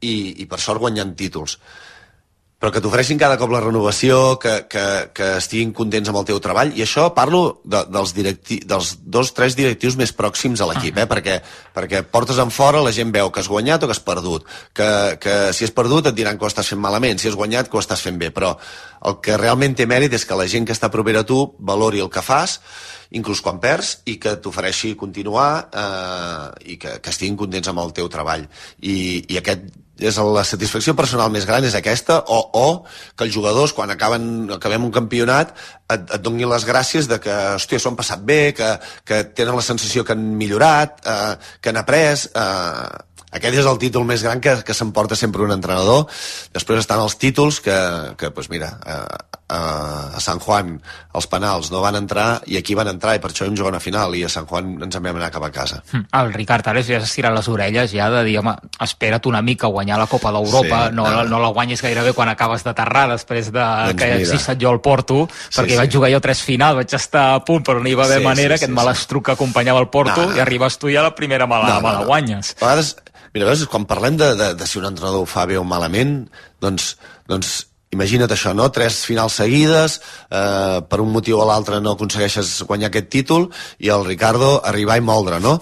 i, i per sort guanyant títols. Però que t'ofereixin cada cop la renovació, que, que, que estiguin contents amb el teu treball, i això parlo de, dels, directi, dels dos, tres directius més pròxims a l'equip, eh? perquè, perquè portes en fora, la gent veu que has guanyat o que has perdut, que, que si has perdut et diran que ho estàs fent malament, si has guanyat que ho estàs fent bé, però el que realment té mèrit és que la gent que està propera a tu valori el que fas, inclús quan perds, i que t'ofereixi continuar eh, i que, que estiguin contents amb el teu treball. I, i aquest és la satisfacció personal més gran és aquesta, o, o que els jugadors quan acaben, acabem un campionat et, et donin les gràcies de que hòstia, s'ho han passat bé, que, que tenen la sensació que han millorat, eh, que han après. Eh, aquest és el títol més gran que, que s'emporta sempre un entrenador. Després estan els títols que, que pues mira, eh, a Sant Juan els penals no van entrar i aquí van entrar i per això vam jugar una final i a Sant Juan ens en vam anar cap a casa. El Ricard Ares ja s'estira les orelles ja de dir, home, espera't una mica a guanyar la Copa d'Europa, sí, no, no. no la guanyis gairebé quan acabes d'aterrar després de doncs que hagi estat jo al Porto, sí, perquè sí. vaig jugar jo tres finals, vaig estar a punt però no hi va haver sí, manera, sí, aquest sí, malastruc que acompanyava el Porto no, no. i arribes tu i a la primera me la, no, no, me la guanyes. A vegades, mira, a vegades quan parlem de, de, de si un entrenador ho fa bé o malament, doncs, doncs imagina't això, no? Tres finals seguides, eh, per un motiu o l'altre no aconsegueixes guanyar aquest títol i el Ricardo arribar i moldre, no?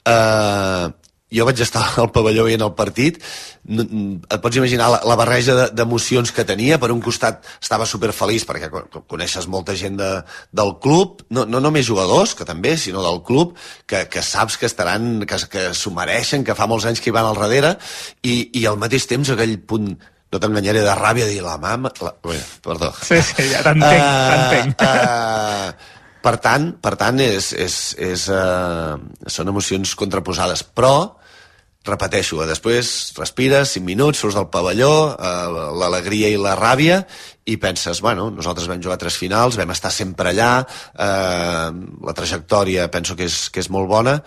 Eh, jo vaig estar al pavelló veient el partit, et pots imaginar la, la barreja d'emocions que tenia. Per un costat estava superfeliç perquè coneixes molta gent de, del club, no, no només jugadors, que també, sinó del club, que, que saps que estaran, que, que s'ho mereixen, que fa molts anys que hi van al darrere, i, i al mateix temps aquell punt, no t'enganyaré, de ràbia, de dir la mama... La... Bé, perdó. Sí, sí, ja t'entenc, uh, t'entenc. Uh, per tant, per tant és, és, és, uh, són emocions contraposades, però, repeteixo, després respires cinc minuts, surts del pavelló, uh, l'alegria i la ràbia, i penses, bueno, nosaltres vam jugar tres finals, vam estar sempre allà, uh, la trajectòria penso que és, que és molt bona,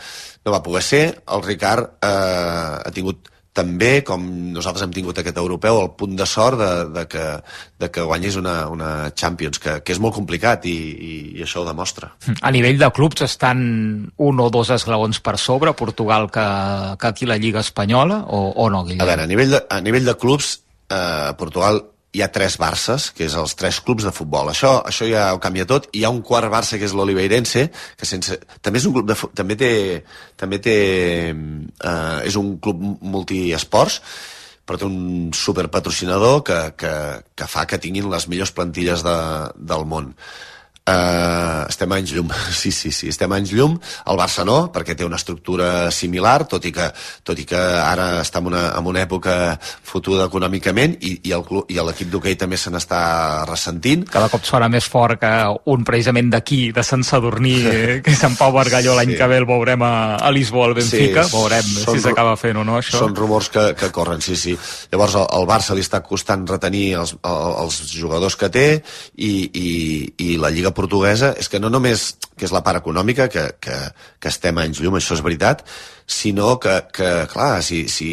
no va poder ser, el Ricard uh, ha tingut també, com nosaltres hem tingut aquest europeu, el punt de sort de, de, que, de que guanyis una, una Champions, que, que és molt complicat i, i, i això ho demostra. A nivell de clubs estan un o dos esglaons per sobre Portugal que, que aquí la Lliga Espanyola o, o no, Guillem? A veure, a nivell de, a nivell de clubs, eh, Portugal hi ha tres Barces, que és els tres clubs de futbol. Això, això ja ho canvia tot. Hi ha un quart Barça, que és l'Oliveirense, que sense, també és un club de també té, també té eh, és un club multiesports, però té un superpatrocinador que, que, que fa que tinguin les millors plantilles de, del món. Uh, estem a anys llum, sí, sí, sí, estem a anys llum. El Barça no, perquè té una estructura similar, tot i que, tot i que ara està en una, en una època fotuda econòmicament i, i l'equip d'hoquei també se n'està ressentint. Cada cop sona més fort que un precisament d'aquí, de Sant Sadurní, que és en Pau Bargalló, l'any sí. que ve el veurem a, a Lisboa, al Benfica, sí, veurem si s'acaba fent o no, això. Són rumors que, que corren, sí, sí. Llavors el, el Barça li està costant retenir els, els jugadors que té i, i, i la Lliga portuguesa és que no només que és la part econòmica, que, que, que estem a anys llum, això és veritat, sinó que, que clar, si, si,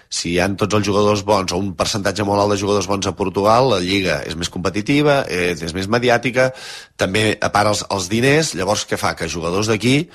si hi ha tots els jugadors bons o un percentatge molt alt de jugadors bons a Portugal, la Lliga és més competitiva, és, és més mediàtica, també a part els, els diners, llavors què fa? Que jugadors d'aquí,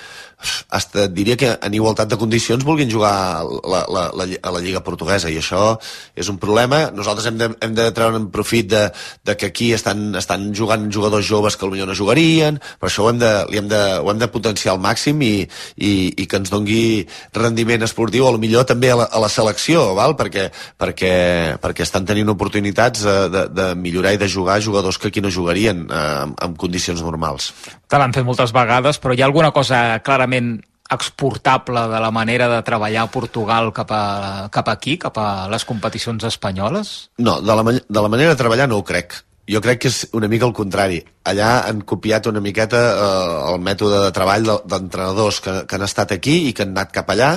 hasta diria que en igualtat de condicions vulguin jugar la, la, la, a la Lliga portuguesa, i això és un problema. Nosaltres hem de, hem de treure en profit de, de que aquí estan, estan jugant jugadors joves que potser no jugarien, però això ho hem de, li hem de, ho hem de potenciar al màxim i, i, i que ens dongui rendiment esportiu, o millor també a la, a la selecció, val? Perquè, perquè, perquè estan tenint oportunitats de, de, de millorar i de jugar jugadors que aquí no jugarien eh, en, en condicions normals. Te l'han fet moltes vegades, però hi ha alguna cosa clarament exportable de la manera de treballar a Portugal cap, a, cap aquí, cap a les competicions espanyoles? No, de la, de la manera de treballar no ho crec. Jo crec que és una mica el contrari. Allà han copiat una miqueta eh, el mètode de treball d'entrenadors que, que han estat aquí i que han anat cap allà,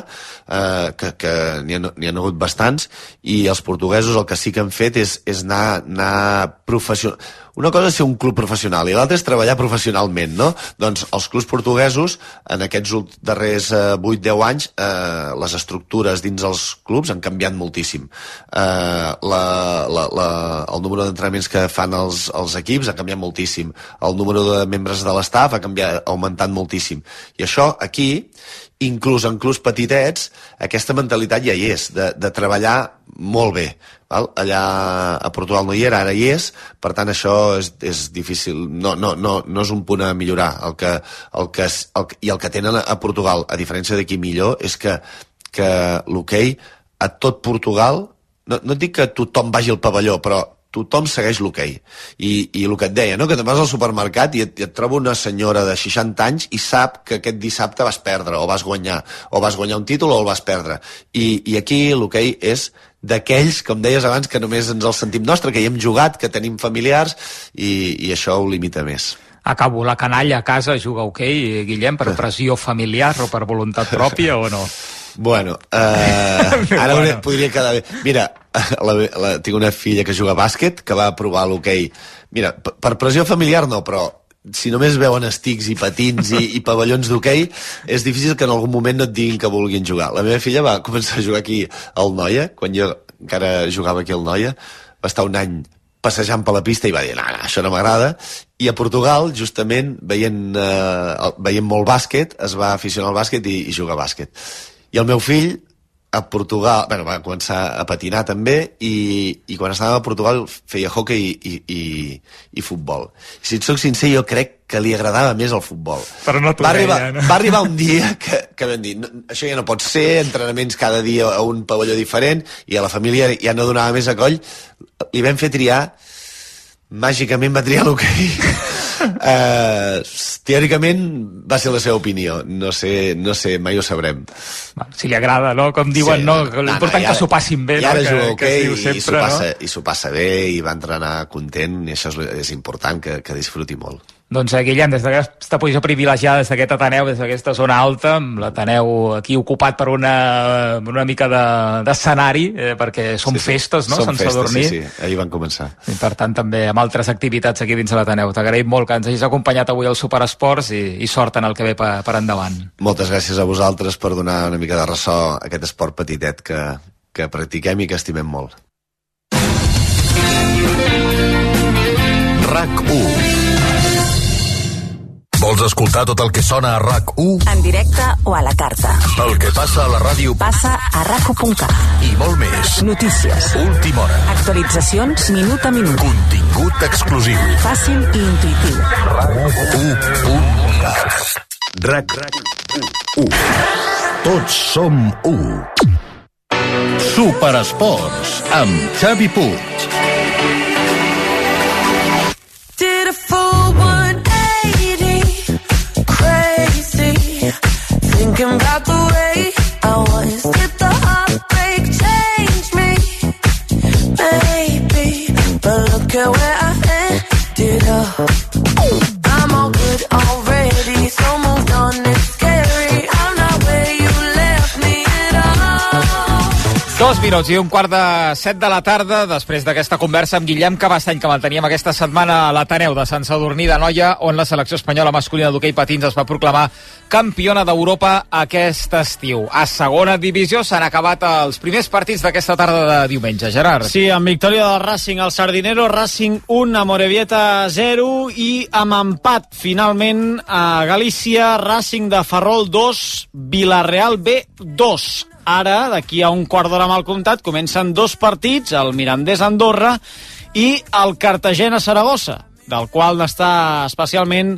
eh, que, que n'hi ha, n'hi ha hagut bastants, i els portuguesos el que sí que han fet és, és anar, anar professional. Una cosa és ser un club professional i l'altra és treballar professionalment, no? Doncs els clubs portuguesos, en aquests darrers eh, vuit deu anys, eh, les estructures dins els clubs han canviat moltíssim. Eh, la, la, la, el número d'entrenaments que fan els, els equips ha canviat moltíssim. El número de membres de l'estaf ha canviat, ha augmentat moltíssim. I això aquí, inclús en clubs petitets, aquesta mentalitat ja hi és, de, de treballar molt bé. Val? Allà a Portugal no hi era, ara hi és, per tant això és, és difícil, no, no, no, no és un punt a millorar. El que, el que, el, I el que tenen a Portugal, a diferència d'aquí millor, és que, que l'hoquei a tot Portugal, no, no et dic que tothom vagi al pavelló, però tothom segueix l'hoquei. I, i el que et deia, no? Que te'n vas al supermercat i et, i et troba una senyora de seixanta anys i sap que aquest dissabte vas perdre o vas guanyar, o vas guanyar un títol o el vas perdre. I, i aquí l'hoquei és d'aquells, com deies abans, que només ens el sentim nostre, que hi hem jugat, que tenim familiars, i, i això ho limita més. Acabo, la canalla a casa juga hoquei, Guillem, per pressió familiar o per voluntat pròpia o no? Bueno, eh, ara bueno. podria quedar bé. Mira, la, la, tinc una filla que juga a bàsquet, que va provar l'hoquei. Mira, per pressió familiar no, però si només veuen estics i patins i, i pavellons d'hoquei, és difícil que en algun moment no et diguin que vulguin jugar. La meva filla va començar a jugar aquí al Noia, quan jo encara jugava aquí al Noia, va estar un any passejant per la pista i va dir, no, no, això no m'agrada. I a Portugal, justament, veient, eh, veient molt bàsquet, es va aficionar al bàsquet i, i jugar a bàsquet. I el meu fill, a Portugal, bueno, va començar a patinar també, i, i quan estava a Portugal feia hockey i, i, i futbol. Si et soc sincer, jo crec que li agradava més el futbol. Però no t'ho va arribar, deia, no? Va arribar un dia que, que vam dir, no, això ja no pot ser, entrenaments cada dia a un pavelló diferent, i a la família ja no donava més a coll. Li vam fer triar, màgicament va triar l'hoquei. Uh, teòricament va ser la seva opinió, no sé, no sé, mai ho sabrem. Si li agrada, no? Com diuen, sí, no, no, l'important no, no, que s'ho passin bé, i ara no? juga hoquei okay, i s'ho passa, no? passa bé i va entrenar content, i això és, és important, que, que disfruti molt. Doncs, eh, Guillem, des d'aquesta posició privilegiada, des d'aquest Ateneu, des d'aquesta zona alta, l'Ateneu aquí ocupat per una, una mica d'escenari, de, eh, perquè són sí, sí. festes, no?, sense festes, dormir. Sí, sí, ahir van començar. I, per tant, també amb altres activitats aquí dins de l'Ateneu. T'agraïm molt que ens hagis acompanyat avui al Superesports i, i sort en el que ve per, per endavant. Moltes gràcies a vosaltres per donar una mica de ressò a aquest esport petitet que, que practiquem i que estimem molt. RAC u. Vols escoltar tot el que sona a RAC u? En directe o a la carta. El que passa a la ràdio passa a rac u punt cat. I molt més. Notícies. Última hora. Actualitzacions minut a minut. Contingut exclusiu. Fàcil i intuïtiu. RAC u punt cat. RAC u. Tots som u. Superesports amb Xavi Puig. Did a full one eighty, crazy, thinking about the way I was. Did the heartbreak change me? Maybe, but look at where I ended up. I'm all good already, so moved on, it's scary. I'm not where you left me at all. Dos minuts i un quart de set de la tarda, després d'aquesta conversa amb Guillem Cabastany que manteníem aquesta setmana a l'Ateneu de Sant Sadurní d'Anoia, on la selecció espanyola masculina d'hoquei patins es va proclamar campiona d'Europa aquest estiu. A segona divisió s'han acabat els primers partits d'aquesta tarda de diumenge. Gerard. Sí, amb victòria del Racing al Sardinero, Racing un, Amorebieta zero, i amb empat finalment a Galícia, Racing de Ferrol dos, Vilareal B dos. Ara, d'aquí a un quart d'hora mal comptat, comencen dos partits, el Mirandés-Andorra i el Cartagena-Saragossa, del qual n'està especialment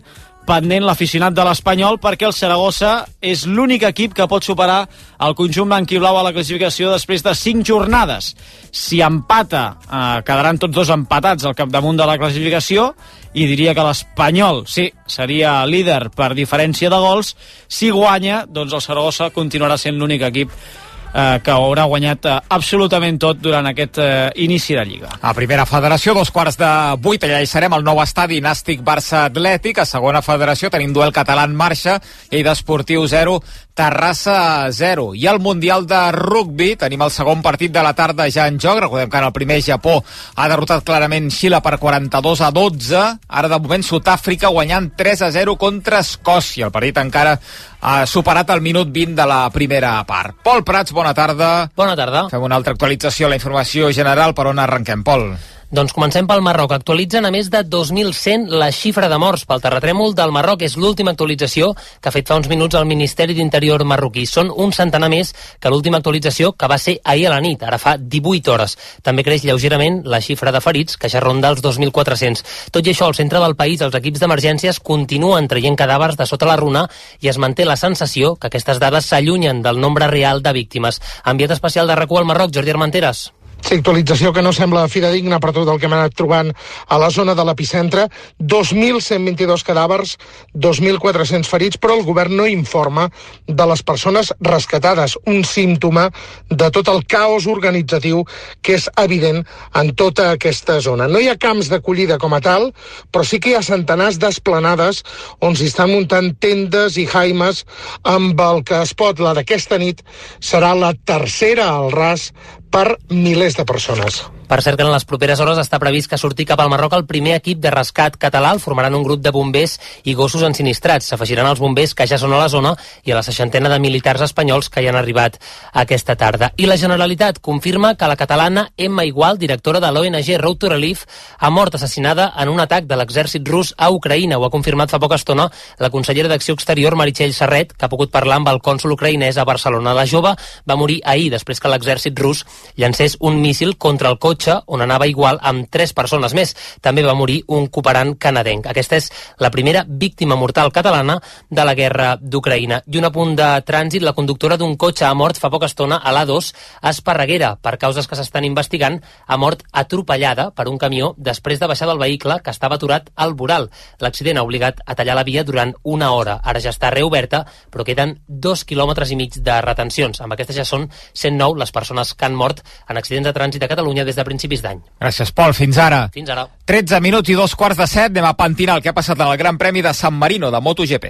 pendent l'aficionat de l'Espanyol, perquè el Saragossa és l'únic equip que pot superar el conjunt blanquiblau a la classificació després de cinc jornades. Si empata, eh, quedaran tots dos empatats al capdamunt de la classificació, i diria que l'Espanyol, sí, seria líder per diferència de gols. Si guanya, doncs el Saragossa continuarà sent l'únic equip eh, que haurà guanyat eh, absolutament tot durant aquest eh, inici de Lliga. A Primera Federació, dos quarts de vuit, allà hi serem al nou estadi Nàstic Barça Atlètic. A Segona Federació tenim duel català en marxa, Lleida Esportiu zero, Terrassa zero. I al Mundial de Rugbi tenim el segon partit de la tarda ja en joc. Recordem que en el primer Japó ha derrotat clarament Xile per quaranta-dos a dotze. Ara de moment Sud-àfrica guanyant tres a zero contra Escòcia. El partit encara ha superat el minut vint de la primera part. Pol Prats, bona tarda. Bona tarda. Fem una altra actualització a la informació general. Per on arrenquem, Pol? Doncs comencem pel Marroc. Actualitzen a més de dos mil cent la xifra de morts pel terratrèmol del Marroc. És l'última actualització que ha fet fa uns minuts el Ministeri d'Interior marroquí. Són un centenar més que l'última actualització, que va ser ahir a la nit, ara fa divuit hores. També creix lleugerament la xifra de ferits, que ja ronda els dos mil quatre-cents. Tot i això, al centre del país, els equips d'emergències continuen traient cadàvers de sota la runa i es manté la sensació que aquestes dades s'allunyen del nombre real de víctimes. Enviat especial de RAC u al Marroc, Jordi Armenteres. Sí, actualització que no sembla fidedigna per tot el que hem anat trobant a la zona de l'epicentre. dos mil cent vint-i-dos cadàvers, dos mil quatre-cents ferits, però el govern no informa de les persones rescatades, un símptoma de tot el caos organitzatiu que és evident en tota aquesta zona. No hi ha camps d'acollida com a tal, però sí que hi ha centenars d'esplanades on s'hi estan muntant tendes i jaimes amb el que es pot, la d'aquesta nit, serà la tercera al ras per milers de persones. Per cert que en les properes hores està previst que surti cap al Marroc el primer equip de rescat català. El formaran un grup de bombers i gossos ensinistrats. S'afegiran els bombers que ja són a la zona i a la seixantena de militars espanyols que hi han arribat aquesta tarda. I la Generalitat confirma que la catalana Emma Igual, directora de l'O N G Road to Relief, ha mort assassinada en un atac de l'exèrcit rus a Ucraïna. Ho ha confirmat fa poca estona la consellera d'Acció Exterior, Meritxell Serret, que ha pogut parlar amb el cònsol ucraïnès a Barcelona. La jove va morir ahir després que l'exèrcit rus llancés un míssil contra el cotxe on anava Igual amb tres persones més. També va morir un cooperant canadenc. Aquesta és la primera víctima mortal catalana de la guerra d'Ucraïna. I un apunt de trànsit, la conductora d'un cotxe ha mort fa poca estona a l'A dos a Esparreguera. Per causes que s'estan investigant, ha mort atropellada per un camió després de baixar del vehicle que estava aturat al voral. L'accident ha obligat a tallar la via durant una hora. Ara ja està reoberta, però queden dos quilòmetres i mig de retencions. Amb aquestes ja són cent nou les persones que han mort en accidents de trànsit a Catalunya des de principis d'any. Gràcies, Pol. Fins ara. Fins ara. tretze minuts i dos quarts de set. Anem a pentinar el que ha passat en el Gran Premi de San Marino de MotoGP.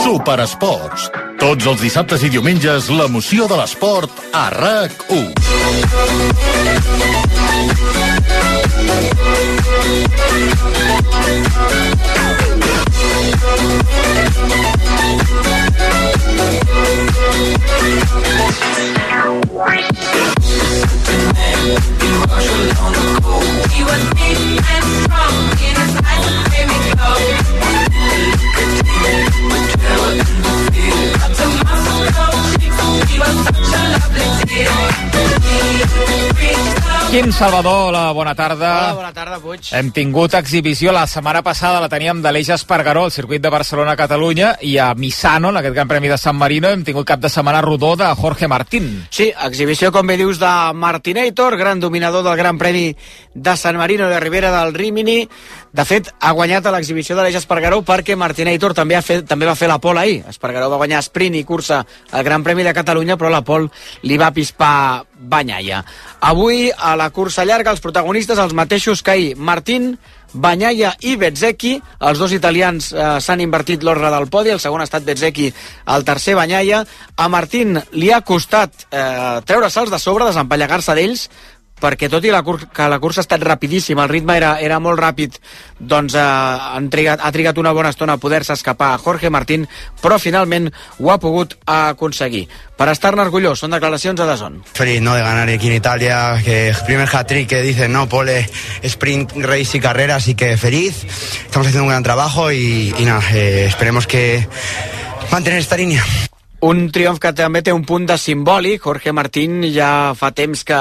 Superesports. Tots els dissabtes i diumenges, l'emoció de l'esport a RAC u. Quim Salvador, la bona tarda. Hola, bona tarda, Puig. Hem tingut exhibició, la setmana passada la teníem d'Aleix Espargaró, al circuit de Barcelona-Catalunya, i a Misano, en aquest Gran Premi de San Marino, hem tingut cap de setmana rodó de Jorge Martín. Sí, exhibició, com bé dius, de Martinator, gran dominador del Gran Premi de San Marino de Ribera del Rímini. De fet, ha guanyat a l'exhibició d'Aleix Espargaró perquè Martinator també, ha fet, també va fer la pole ahir. Espargaró va guanyar sprint i cursa al Gran Premi de Catalunya, però la pole li va pispar Banyaia. Avui, a la cursa llarga, els protagonistes els mateixos que ahir. Martín, Banyaia i Bezzecchi, els dos italians eh, s'han invertit l'ordre del podi, el segon ha estat Bezzecchi, el tercer Banyaia. A Martín li ha costat eh, treure-se'ls de sobre, desempallegar-se d'ells, perquè tot i la cur que la cursa ha estat rapidíssima, el ritme era, era molt ràpid, doncs eh, han trigat, ha trigat una bona estona a poder-se escapar a Jorge Martín, però finalment ho ha pogut aconseguir. Per estar-ne orgullós, són declaracions a DAZN. Feliz, ¿no?, de ganar aquí en Italia, que primer hat-trick que dicen, ¿no?, pole, sprint, race y carrera, así que feliz, estamos haciendo un gran trabajo y, y nada, eh, esperemos que mantener esta línea. Un triomf que també té un punt de simbòlic. Jorge Martín ja fa temps que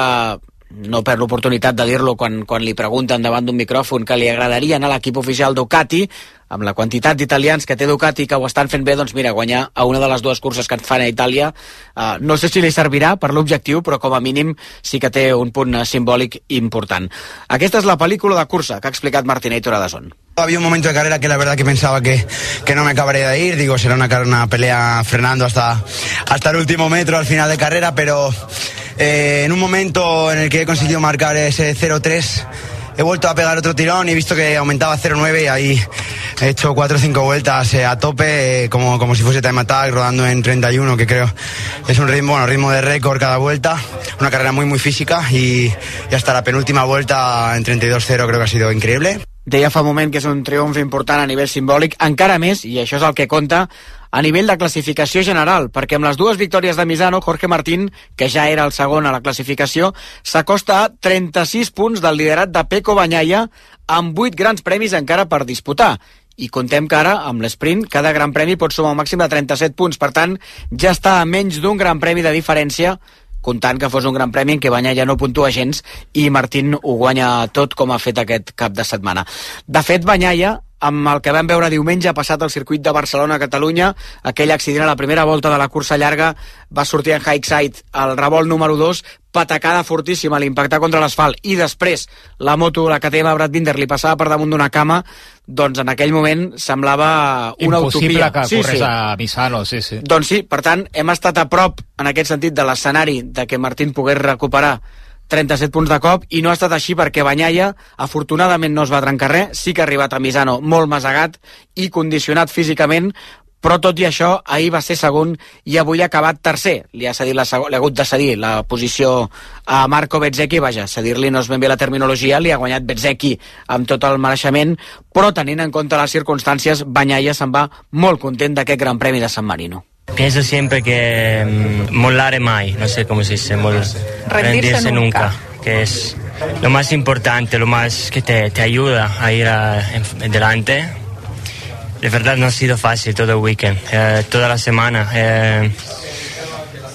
no perd l'oportunitat de dir-lo quan, quan li pregunten davant d'un micròfon que li agradaria anar a l'equip oficial Ducati, amb la quantitat d'italians que té Ducati que ho estan fent bé, doncs mira, guanyar a una de les dues curses que et fan a Itàlia, eh, no sé si li servirà per l'objectiu, però com a mínim sí que té un punt simbòlic important. Aquesta és la pel·lícula de cursa que ha explicat Martinator a DAZN. Había un momento de carrera que la verdad que pensaba que, que no me acabaría de ir, digo, será una, una pelea frenando hasta, hasta el último metro al final de carrera, pero eh, en un momento en el que he conseguido marcar ese cero tres, he vuelto a pegar otro tirón y he visto que aumentaba a cero nueve y ahí he hecho cuatro o cinco vueltas eh, a tope, eh, como, como si fuese time attack, rodando en treinta y uno, que creo es un ritmo, bueno, ritmo de récord cada vuelta, una carrera muy muy física y, y hasta la penúltima vuelta en treinta y dos cero creo que ha sido increíble. Deia fa un moment que és un triomf important a nivell simbòlic, encara més, i això és el que compta, a nivell de classificació general, perquè amb les dues victòries de Misano, Jorge Martín, que ja era el segon a la classificació, s'acosta a trenta-sis punts del liderat de Pecco Bagnaia, amb vuit grans premis encara per disputar. I contem que ara, amb l'esprint, cada gran premi pot sumar un màxim de trenta-set punts. Per tant, ja està a menys d'un gran premi de diferència, comptant que fos un gran premi en què Bagnaia no puntua gens i Martín ho guanya tot com ha fet aquest cap de setmana. De fet, Bagnaia, amb el que vam veure diumenge passat al circuit de Barcelona a Catalunya, aquell accident a la primera volta de la cursa llarga, va sortir en Highside al revolt número dos, patacada fortíssima a l'impactar contra l'asfalt, i després la moto, la K T M Brad Binder, li passava per damunt d'una cama, doncs en aquell moment semblava una impossible utopia. que sí, corres sí. a Misano, sí, sí. Doncs sí, per tant, hem estat a prop, en aquest sentit, de l'escenari de que Martín pogués recuperar trenta-set punts de cop, i no ha estat així perquè Bagnaia, afortunadament, no es va trencar res, sí que ha arribat a Misano molt masegat i condicionat físicament, però tot i això, ahir va ser segon i avui ha acabat tercer. Li ha, cedit la segon, li ha hagut de cedir la posició a Marco Bezzecchi, vaja, cedir-li no és ben bé la terminologia, li ha guanyat Bezzecchi amb tot el mereixement, però tenint en compte les circumstàncies, Bagnaia se'n va molt content d'aquest Gran Premi de San Marino. Pienso siempre que um, mollare mai, no sé cómo se dice, mol, rendirse, rendirse nunca. nunca, que es lo más importante, lo más que te, te ayuda a ir a, en, delante. De verdad no ha sido fácil todo el weekend, eh, toda la semana. Eh,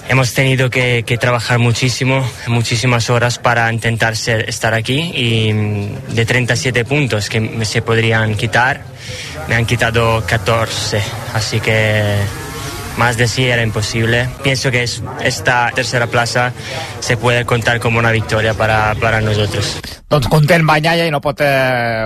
hemos tenido que, que trabajar muchísimo, muchísimas horas para intentar ser, estar aquí, y de treinta y siete puntos que se podrían quitar, me han quitado catorce, así que más de sí era imposible. Pienso que es, esta tercera plaza se puede contar como una victoria para, para nosotros. Doncs content Bagnaia i no pot, eh,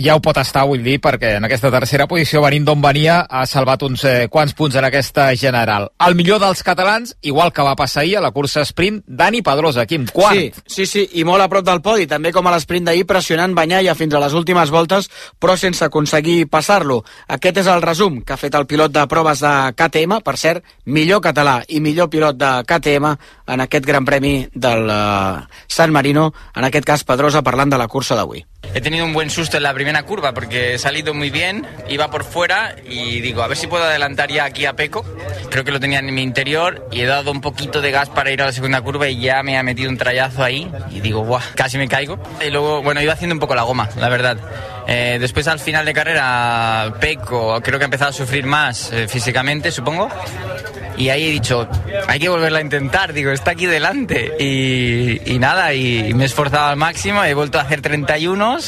ja ho pot estar, vull dir, perquè en aquesta tercera posició, venint d'on venia, ha salvat uns eh, quants punts en aquesta general. El millor dels catalans, igual que va passar ahir a la cursa sprint, Dani Pedrosa, Quim, quart. Sí, sí, sí, i molt a prop del podi, també com a l'esprint d'ahir, pressionant Bagnaia fins a les últimes voltes, però sense aconseguir passar-lo. Aquest és el resum que ha fet el pilot de proves de K T M, per cert, millor català i millor pilot de K T M en aquest Gran Premi del uh, San Marino, en aquest cas Pedrosa, parlant de la cursa d'avui. He tenido un buen susto en la primera curva porque he salido muy bien, iba por fuera y digo, a ver si puedo adelantar ya aquí a Pecco. Creo que lo tenía en mi interior y he dado un poquito de gas para ir a la segunda curva y ya me ha metido un trayazo ahí y digo, ¡buah! Casi me caigo. Y luego, bueno, iba haciendo un poco la goma, la verdad. Eh, después al final de carrera, Pecco creo que ha empezado a sufrir más eh, físicamente, supongo. Y ahí he dicho, hay que volverla a intentar, digo, está aquí delante. Y, y nada, y me he esforzado al máximo, he vuelto a hacer treinta y uno,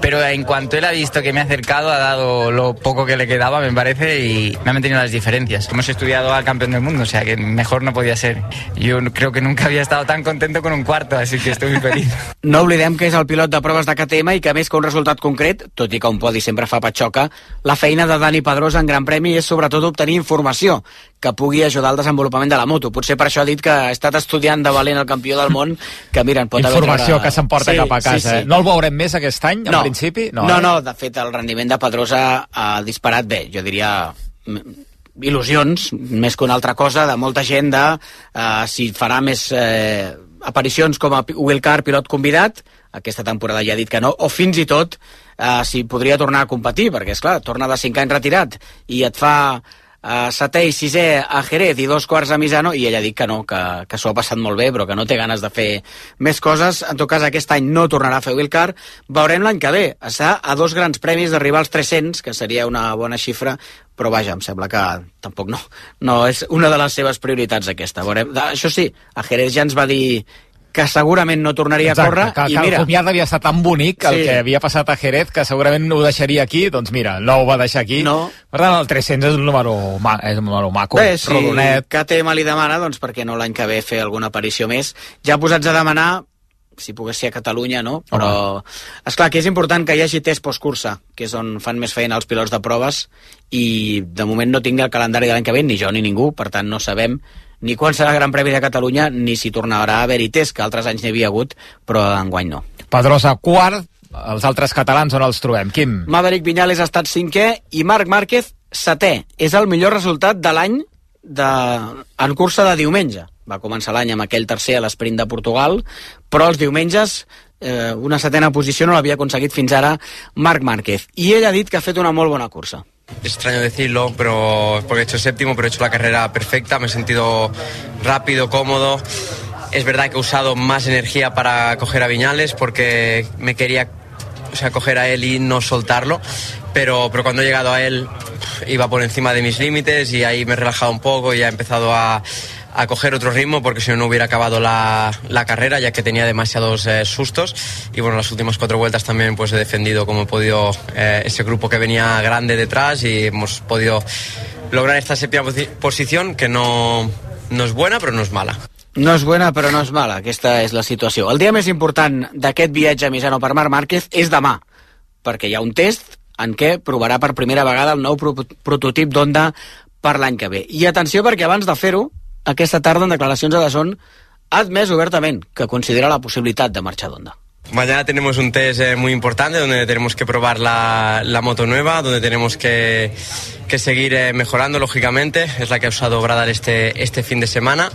pero en cuanto él ha visto que me ha acercado, ha dado lo poco que le quedaba, me parece, y me ha mantenido las diferencias. Hemos estudiado al campeón del mundo, o sea que mejor no podía ser. Yo creo que nunca había estado tan contento con un cuarto, así que estoy muy feliz. No oblidem que és el pilot de proves de K T M i que, més que un resultat concret, tot i que un podi sempre fa patxoca, la feina de Dani Pedrosa en Gran Premi és sobretot obtenir informació que pugui ajudar al desenvolupament de la moto. Potser per això ha dit que ha estat estudiant de valent el campió del món, que mira, pot haver... Informació que s'emporta sí, cap a casa. Sí, sí. No el veurem més aquest any, no. en principi? No, no, eh? no, de fet el rendiment de Pedrosa ha disparat bé, jo diria il·lusions, més que una altra cosa, de molta gent de uh, si farà més eh, aparicions com a wildcard pilot convidat, aquesta temporada ja ha dit que no, o fins i tot uh, si podria tornar a competir, perquè és clar, torna de cinc anys retirat i et fa uh, setè i sisè a Jerez i dos quarts a Misano, i ella ha dit que no, que, que s'ho ha passat molt bé, però que no té ganes de fer més coses. En tot cas, aquest any no tornarà a fer wildcard. Veurem l'any que ve. Està a dos grans premis d'arribar als tres-cents, que seria una bona xifra, però vaja, em sembla que tampoc no, no és una de les seves prioritats aquesta. Veurem. Això sí, a Jerez ja ens va dir que segurament no tornaria Exacte, a córrer, que, i que mira... el comiat havia estat tan bonic, el Sí. que havia passat a Jerez, que segurament ho deixaria aquí, doncs mira, no ho va deixar aquí. No. Per tant, el tres-cents és un número, ma és un número maco, Bé, si rodonet. K T M li demana, doncs per què no l'any que ve fer alguna aparició més? Ja posats a demanar, si pogués ser a Catalunya, no? Però, esclar, que és important que hi hagi test postcursa, que és on fan més feina els pilots de proves, i de moment no tinc el calendari de l'any que ve, ni jo ni ningú, per tant no sabem ni quan serà el Gran Premi de Catalunya, ni si tornarà a haver-hi test, que altres anys n'hi havia hagut, però enguany no. Pedrosa quart, els altres catalans on els trobem? Quim? Maverick Viñales ha estat cinquè i Marc Márquez setè. És el millor resultat de l'any de... en cursa de diumenge. Va començar l'any amb aquell tercer a l'esprint de Portugal, però els diumenges eh, una setena posició no l'havia aconseguit fins ara Marc Márquez. I ell ha dit que ha fet una molt bona cursa. Extraño decirlo, pero porque he hecho séptimo, pero he hecho la carrera perfecta, me he sentido rápido, cómodo. Es verdad que he usado más energía para coger a Viñales porque me quería, o sea, coger a él y no soltarlo, pero, pero cuando he llegado a él iba por encima de mis límites y ahí me he relajado un poco y he empezado a, a coger otro ritmo porque si no no hubiera acabado la, la carrera ya que tenía demasiados eh, sustos y bueno, las últimas cuatro vueltas también pues he defendido como he podido eh, ese grupo que venía grande detrás y hemos podido lograr esta séptima posi posición que no, no es buena però no és mala. No és buena però no és mala, aquesta és la situació. El dia més important d'aquest viatge a Misano per Marc Márquez és demà, perquè hi ha un test en què provarà per primera vegada el nou pro prototip d'Honda per l'any que ve. I atenció perquè abans de fer-ho, aquesta tarda en declaracions a Dazón ha admès obertament que considera la possibilitat de marxar d'Honda. Mañana tenemos un test eh, muy importante donde tenemos que probar la, la moto nueva, donde tenemos que, que seguir eh, mejorando, lógicamente. Es la que ha usado Bradal este, este fin de semana,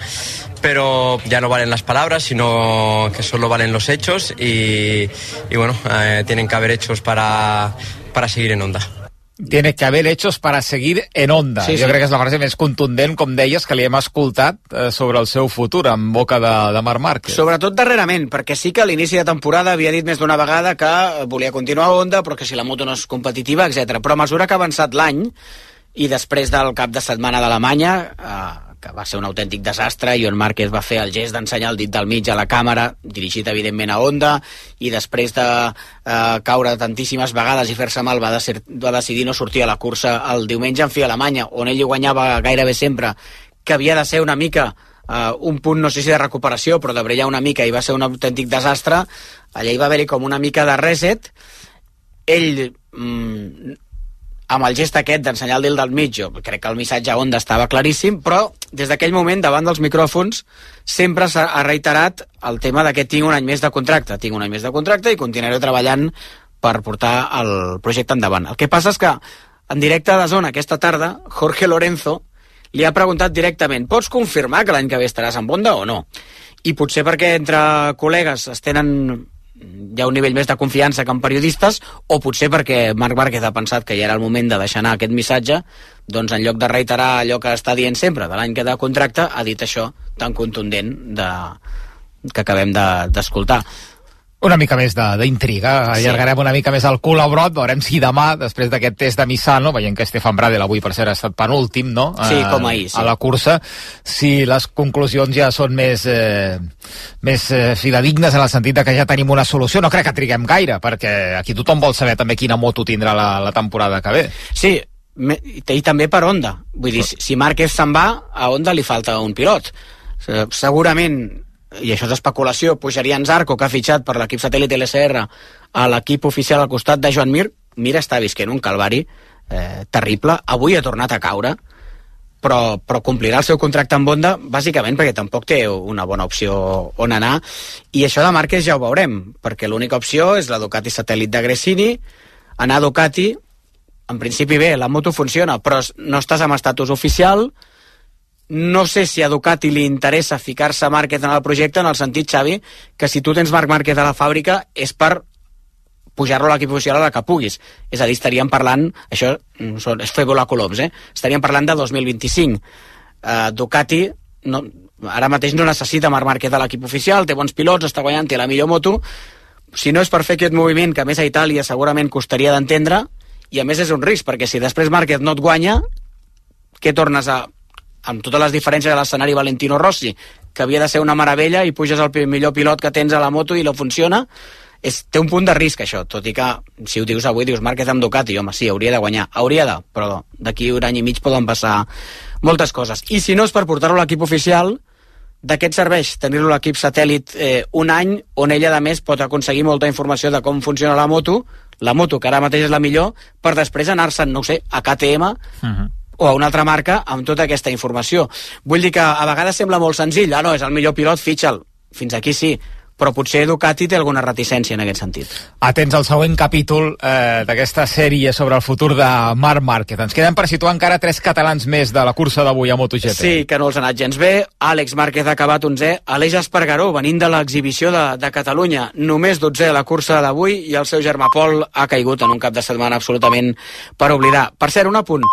pero ya no valen las palabras, sino que solo valen los hechos y, y bueno, eh, tienen que haber hechos para, para seguir en Honda. Tiene que haber hechos para seguir en Honda. Sí, sí. Jo crec que és la frase més contundent, com deies, que li hem escoltat eh, sobre el seu futur en boca de, de Marc Márquez. Sobretot darrerament, perquè sí que a l'inici de temporada havia dit més d'una vegada que volia continuar a Honda, però que si la moto no és competitiva, etcètera. Però a mesura que ha avançat l'any, i després del cap de setmana d'Alemanya, eh, que va ser un autèntic desastre, i on Márquez va fer el gest d'ensenyar el dit del mig a la càmera, dirigit evidentment a Honda, i després de eh, caure tantíssimes vegades i fer-se mal va, de va decidir no sortir a la cursa el diumenge en fi a Alemanya, on ell hi guanyava gairebé sempre, que havia de ser una mica eh, un punt, no sé si de recuperació, però de brillar una mica, i va ser un autèntic desastre. Allà hi va haver-hi com una mica de reset. Ell... Mm, amb el gest aquest d'ensenyar el dit del mig, jo crec que el missatge a Honda estava claríssim, però des d'aquell moment, davant dels micròfons, sempre s'ha reiterat el tema de que tinc un any més de contracte. Tinc un any més de contracte i continuaré treballant per portar el projecte endavant. El que passa és que, en directe de Zona aquesta tarda, Jorge Lorenzo li ha preguntat directament: pots confirmar que l'any que ve estaràs amb Honda o no? I potser perquè entre col·legues es tenen... hi ha un nivell més de confiança que en periodistes, o potser perquè Marc Márquez ha pensat que ja era el moment de deixar anar aquest missatge, doncs en lloc de reiterar allò que està dient sempre de l'any que de contracte, ha dit això tan contundent de... que acabem d'escoltar. De... Una mica més d'intriga, allargarem sí. una mica més el cul a brot, veurem si demà, després d'aquest test de Misano, veient que Stefan Bradl avui per cert ha estat penúltim, no? Sí, com ahir, sí. A la cursa, si les conclusions ja són més, eh, més eh, fidedignes en el sentit de que ja tenim una solució. No crec que triguem gaire, perquè aquí tothom vol saber també quina moto tindrà la, la temporada que ve. Sí, me, i també per Honda. Vull dir, si Márquez se'n va, a Honda li falta un pilot. Segurament, i això és especulació, pujaria en Zarco, que ha fitxat per l'equip satèl·lit L S R a l'equip oficial al costat de Joan Mir. Mir està visquent un calvari eh, terrible, avui ha tornat a caure, però, però complirà el seu contracte amb Honda bàsicament perquè tampoc té una bona opció on anar, i això de Márquez ja ho veurem, perquè l'única opció és la Ducati satèl·lit de Gresini. Anar a Ducati, en principi bé, la moto funciona, però no estàs amb estatus oficial. No sé si a Ducati li interessa ficar-se Márquez en el projecte, en el sentit, Xavi, que si tu tens Marc Márquez a la fàbrica és per pujar-lo a l'equip oficial a la que puguis. És a dir, estaríem parlant, això és fer volar coloms, eh? Estaríem parlant de dos mil vint-i-cinc. Uh, Ducati no, ara mateix no necessita Marc Márquez a l'equip oficial, té bons pilots, està guanyant, té la millor moto. Si no és per fer aquest moviment, que a més a Itàlia segurament costaria d'entendre, i a més és un risc, perquè si després Márquez no et guanya, què tornes a... amb totes les diferències de l'escenari Valentino Rossi, que havia de ser una meravella, i puges al millor pilot que tens a la moto i no funciona. És, té un punt de risc, això, tot i que, si ho dius avui, dius Márquez amb Ducati, home, sí, hauria de guanyar, hauria de, però d'aquí un any i mig poden passar moltes coses. I si no és per portar-lo a l'equip oficial, de què et serveix tenir-lo a l'equip satèl·lit eh, un any, on ella, a més, pot aconseguir molta informació de com funciona la moto, la moto, que ara mateix és la millor, per després anar-se'n, no ho sé, a K T M, uh-huh. o a una altra marca amb tota aquesta informació. Vull dir que a vegades sembla molt senzill, ah, no, és el millor pilot, fitxa'l. Fins aquí sí, però potser Ducati té alguna reticència en aquest sentit. Atents al següent capítol eh, d'aquesta sèrie sobre el futur de Marc Márquez. Ens queden per situar encara tres catalans més de la cursa d'avui a MotoGP. Sí, que no els ha anat gens bé. Àlex Márquez ha acabat onzè. Aleix Espargaró, venint de l'exhibició de, de Catalunya, només dotzè a la cursa d'avui, i el seu germà Pol ha caigut en un cap de setmana absolutament per oblidar. Per cert, un apunt.